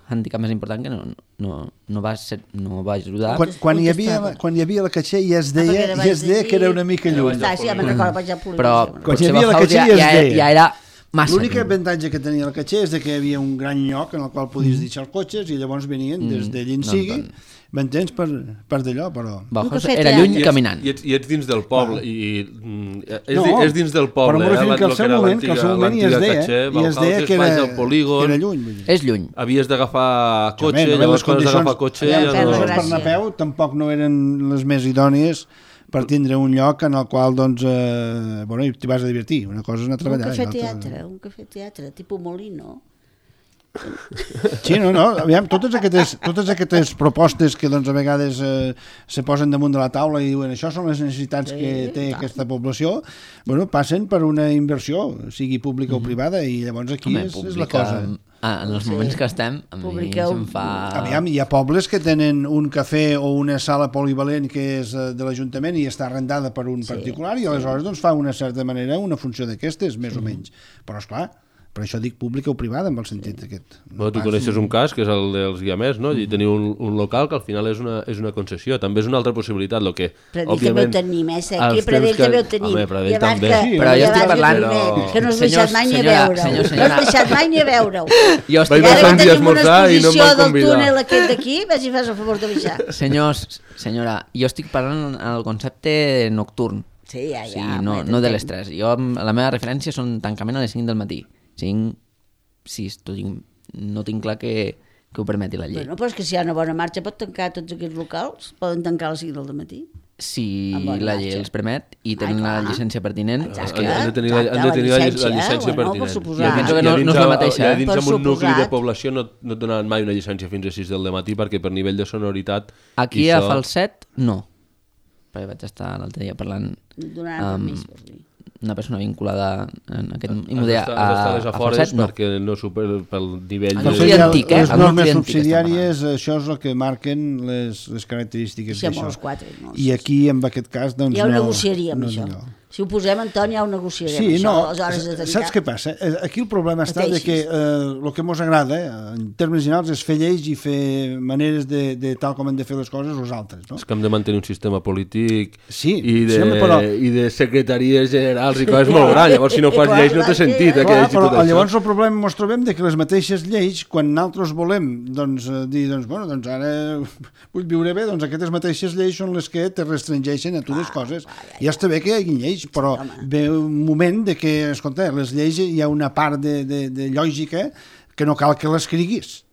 handicap més important que no, no, no, va, ser, no va ajudar. Quan, quan, hi havia, quan hi havia la caché ja es deia, ah, ja es deia que era una mica lluny. Està, sí, ja me'n recordo, vaig a Però quan hi havia la caché ja, ja es deia. Ja era massa. L'únic avantatge que tenia la caché és que hi havia un gran lloc en el qual podies mm. deixar els cotxes i llavors venien mm. des de allí en sigui, no, m'entens, per, per d'allò, però... Bauhaus era lluny I ets, caminant. I ets, I ets dins del poble, i, i és, no, di, és dins del poble, però eh? Que al seu moment, que al seu moment ja es deia, caché, ja es deia que era, polígon, que era lluny. Vull dir. És lluny. Havies d'agafar cotxe, no, llavors quan has d'agafar cotxe... Ja les no... condicions per anar a peu tampoc no eren les més idònies per tindre un lloc en el qual, doncs, eh, bueno, t'hi vas a divertir. Una cosa és anar a treballar. Un cafè teatre, un cafè teatre, tipus Molino. Sí, no, no, aviam, totes aquestes, totes aquestes propostes que doncs, a vegades eh, se posen damunt de la taula i diuen això són les necessitats sí, que té tant. Aquesta població, bueno, passen per una inversió, sigui pública mm-hmm. o privada, i llavors aquí Home, és, pública, és la cosa. Ah, en els sí. moments que estem, a mi Publiqueu... se'm fa... Aviam, hi ha pobles que tenen un cafè o una sala polivalent que és de l'Ajuntament i està arrendada per un sí, particular i aleshores doncs, fa una certa manera una funció d'aquestes, més mm. o menys. Però, esclar, per això dic pública o privada, en el sentit aquest. No, tu coneixes un cas, que és el dels guiamers, no? I teniu un, un local que al final és una, és una concessió. També és una altra possibilitat, el que, Pradell òbviament... també ho tenim, eh, Sequi? Pradell que... també ho tenim. Home, Pradell també. Que, sí, però jo estic parlant... Però... Que no has deixat mai ni a veure-ho. No has deixat mai ni a veure-ho. Jo estic parlant... Vaig passar un dia a esmorzar i no em van convidar. Del túnel aquest d'aquí, vas i fas el favor de baixar. Senyors, senyora, jo estic parlant en el concepte nocturn. Sí, ja, ja. Sí, no, no de les tres. Jo, la meva referència són tancament a les cinc del matí. cinc sis, no tinc clar que, que ho permeti la llei. Bueno, però és que si hi ha una bona marxa pot tancar tots aquests locals, poden tancar a les cinc del matí. Si la llei els permet i tenen la llicència pertinent. Exacte, han de tenir la, han de tenir la llicència, la llicència bueno, pertinent. Suposar. Jo penso que no, no és la mateixa. Ja dins eh? en un nucli de població no, no et donaran mai una llicència fins a sis del matí perquè per nivell de sonoritat... Aquí a això... Falset, no. Perquè vaig estar l'altre dia parlant amb una persona vinculada en aquest immedià a, a, a Falset, no. Perquè no super pel nivell... No de... antic, eh? Les normes subsidiàries, això és el que marquen les, les característiques sí, d'això. Quatre, no, I aquí, en aquest cas, doncs ja ho no... negociaríem, no, això. No. Si ho posem, Antoni, ja ho negociarem, sí, això, no, les hores de tancar. Saps què passa? Aquí el problema està de que eh, el que ens agrada, eh, en termes generals, és fer lleis i fer maneres de, de tal com hem de fer les coses els altres. No? És que hem de mantenir un sistema polític sí, i, de, sí, però... i de secretaries generals i coses molt grans. Llavors, si no fas lleis, no té sentit. Eh, clar, però tot llavors això. El problema ens trobem de que les mateixes lleis, quan nosaltres volem doncs, dir, doncs, bueno, doncs ara vull viure bé, doncs aquestes mateixes lleis són les que te restringeixen a tu les coses. Ja està bé que hi hagi lleis, però ve un moment de que, escolta, les lleis hi ha una part de, de, de lògica que no cal que l'escriguis,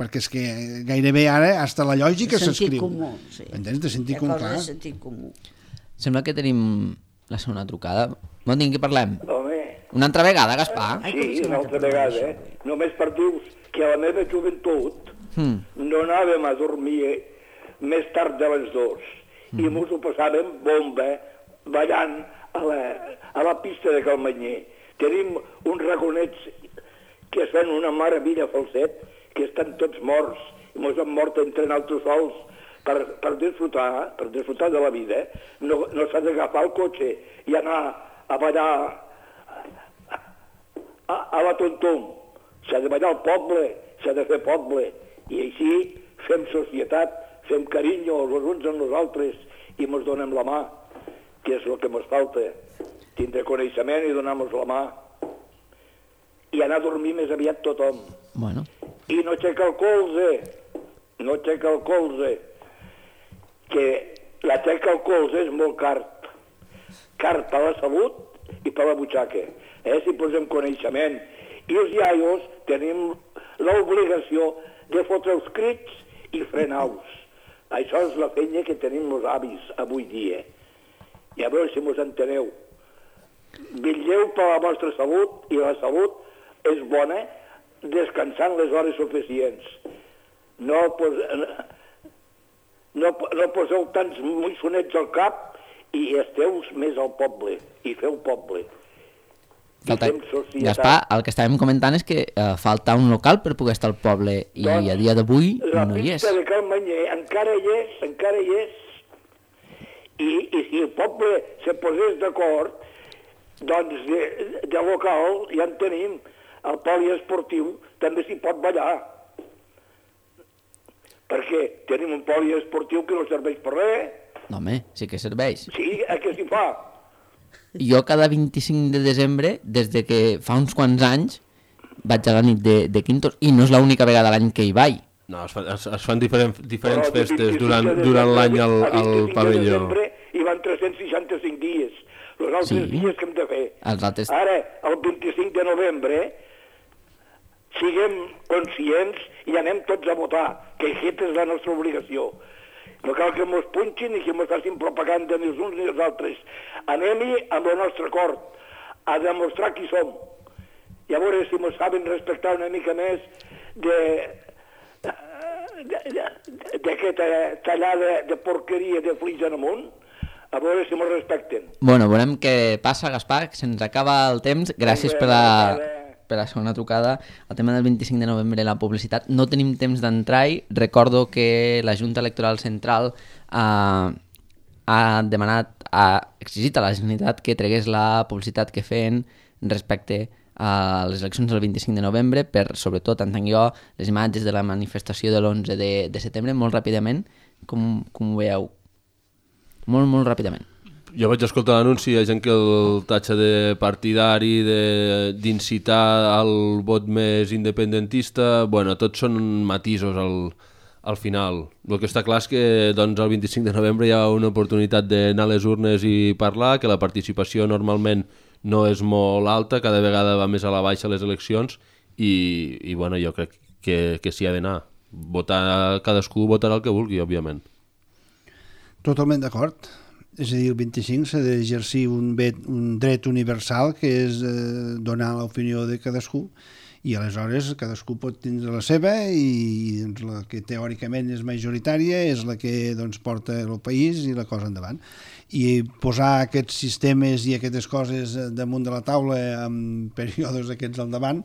perquè és que gairebé ara hasta la lògica s'escriu. Sentit comú, sí. Entens? De sentit comú, clar. De sentit comú. Sembla que tenim la segona trucada. Bon dia, què parlem? Home. Una altra vegada, Gaspar? Sí, una altra vegada, eh? Només per dir-vos que a la meva joventut hmm. no anàvem a dormir més tard de les dues hmm. i mos ho passàvem bomba ballant a la, a la pista de Calmanyer. Tenim uns raconets que es fan una meravella Falset, que estan tots morts, i mos han mort entre altres sols per, per disfrutar, per disfrutar de la vida. No, no s'ha d'agafar el cotxe i anar a ballar a, a, a la tontum. S'ha de ballar al poble, s'ha de fer poble, i així fem societat, fem carinyo els uns amb nosaltres i mos donem la mà, que és el que ens falta, tindre coneixement i donar-nos la mà i anar a dormir més aviat tothom. Bueno. I no aixeca el colze, no aixeca el colze, que l'aixeca el colze és molt car, car per la salut i per la butxaca, eh? Si posem coneixement. I els iaios tenim l'obligació de fotre els crits i frenar-los. Això és la feina que tenim els avis avui dia. I a veure si mos enteneu. Vetlleu per la vostra salut i la salut és bona descansant les hores suficients. No, pos, no, no poseu tants moixonets al cap i esteu més al poble, i feu poble. Falta... Gaspar, el que estàvem comentant és que eh, falta un local per poder estar al poble i doncs, a dia d'avui la no hi és. pista de Cal Manyer encara hi és, encara hi és, i, i si el poble se posés d'acord, doncs de, de local ja en tenim. El poliesportiu també s'hi pot ballar. Perquè tenim un poliesportiu que no serveix per res. No, home, sí que serveix. Sí, a què s'hi fa? Jo cada vint-i-cinc de desembre, des de que fa uns quants anys, vaig a la nit de, de Quintos, i no és l'única vegada a l'any que hi vaig. No, es, fa, es, es fan diferent, diferents festes durant, durant l'any al, al pavelló. A vint-i-cinc de desembre hi van tres-cents seixanta-cinc dies, els altres Sí. dies que hem de fer. Els altres... Ara, el vint-i-cinc de novembre, siguem conscients i anem tots a votar, que aquesta és la nostra obligació. No cal que mos punxin i que mos facin propaganda ni els uns ni els altres. Anem-hi amb el nostre acord, a demostrar qui som. I a veure si mos saben respectar una mica més de d'aquesta tallada de porqueria de flix en amunt, a veure si mos respecten. Bueno, veurem què passa, Gaspar, que se'ns acaba el temps. Gràcies per la, per la segona trucada. El tema del vint-i-cinc de novembre, la publicitat. No tenim temps d'entrar-hi. Recordo que la Junta Electoral Central eh, ha demanat, ha exigit a la Generalitat que tregués la publicitat que feien respecte a les eleccions del vint-i-cinc de novembre, per, sobretot, entenc jo, les imatges de la manifestació de l'onze de, de setembre, molt ràpidament. Com, com ho veieu? Molt, molt ràpidament. Jo vaig escoltar l'anunci, hi ha gent que el tatxa de partidari, d'incitar al vot més independentista, bueno, tots són matisos al, al final. El que està clar és que doncs, el vint-i-cinc de novembre hi ha una oportunitat d'anar a les urnes i parlar, que la participació normalment no és molt alta, cada vegada va més a la baixa les eleccions i, i bueno, jo crec que, que s'hi ha d'anar. Votar, cadascú votarà el que vulgui, òbviament. Totalment d'acord. És a dir, el vint-i-cinc s'ha d'exercir un, un dret universal que és eh, donar l'opinió de cadascú i aleshores cadascú pot tindre la seva i doncs, la que teòricament és majoritària és la que doncs, porta el país i la cosa endavant. I posar aquests sistemes i aquestes coses damunt de la taula en períodes aquests al davant,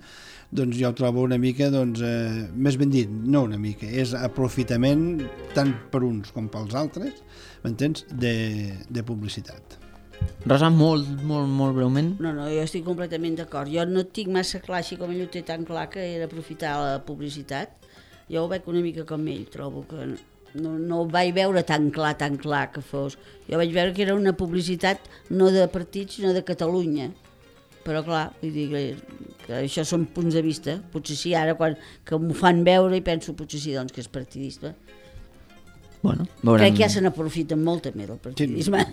doncs jo ho trobo una mica, doncs, eh, més ben dit, no una mica, és aprofitament tant per uns com pels altres, m'entens, de, de publicitat. Rosa, molt, molt, molt breument. No, no, jo estic completament d'acord. Jo no tinc massa clar, així com ell ho té tan clar, que era aprofitar la publicitat. Jo ho veig una mica com ell, trobo que no, no ho vaig veure tan clar, tan clar que fos. Jo vaig veure que era una publicitat no de partits, sinó de Catalunya. Però clar, vull dir que, que això són punts de vista. Potser sí, ara quan que m'ho fan veure i penso potser sí, doncs, que és partidista. Bueno, veurem... Crec que ja se n'aprofiten molt també del partidisme.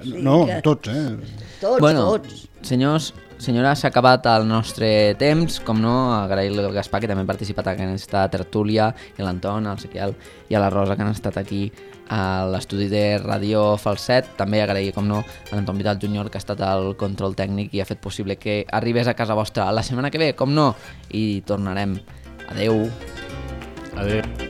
Sí, no, que... tots, eh? Tots, bueno, tots. Senyors, senyora, s'ha acabat el nostre temps, com no, agrair-li al Gaspar, que també ha participat en aquesta tertúlia, i l'Anton, el Sequiel i a la Rosa, que han estat aquí a l'estudi de Ràdio Falset. També agrair, com no, a l'Anton Vidal júnior, que ha estat el control tècnic i ha fet possible que arribés a casa vostra la setmana que ve, com no, i tornarem. Adeu. Adeu.